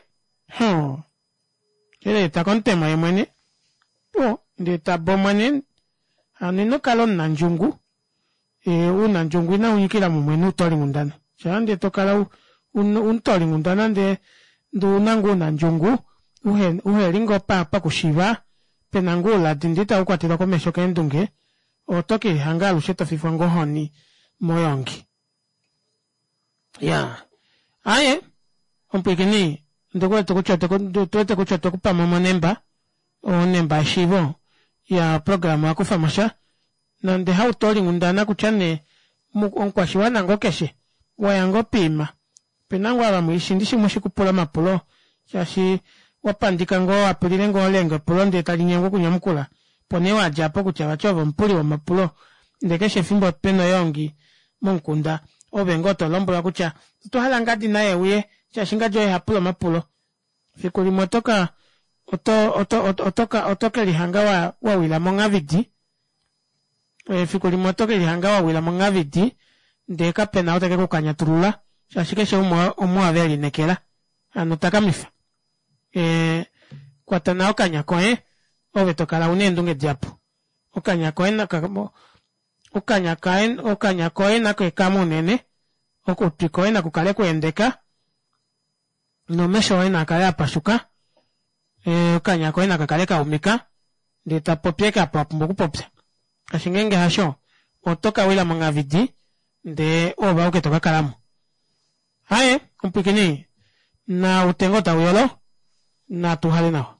hoo eleeta komutemo yemwene o ndee tabomwa nee hano inokala omunandjungu ounandjungu inaunyikila mumwe noutolinghundana shaa ndee tokala umutoolinghundana ndee ndee ouna ngoo ounandjungu uheli ngoo pakushiiva pena ngoo ouladi ndee itaukwatelwa komesho keendunge oto kelihanga alushe tofifwa ngoo ohoni moyoongi iyaa aaye omupwiikini ondikuwete kutya otuwete kutya otwekupamo onemba onemba yeshiivo iya oprograma owakufamosha nande hautoolinghundana kutya nee omukwashiwana ngoo keshe waya ngoo poima opena ngoo ava ndishi mushi okupula omapulo shaashi wapandika ngoo wapulile ngoo elenga epulo ndee talinyengwa okunyamukula opo nee wadja aapo kutya vati ove omupuli womapulo ndee keshe efimbo pena oyoongi momukunda oove ngoo tolombwelwa kutya otwahala ngadi naye euye shaashi ngadi oye hapula omapulo fiku limwe otoka oto oto otoka otokelihanga wawila monghavidi efiku limwe otokelihanga wawila monghavidi ndee kapena ou tekekukanyatulula shaashi keshe umwe omuave elinekela hano takamifa kwata nawa okanya koye ove tokala una eendunge dihapu okanya koye okanya okanya koye nakeekame unene okutwi koye nakukale kwaendeka nomesho oye naakale apashuka okanya koye nakakale kaumika ndee tapopi ashike apa wapumbwa okupopya shaashi ngeenge hasho oto kawila monghavidi ndee oove auke tokakalamo aaye omupwiikini nautenga oo tauyolo natuuhale nawa.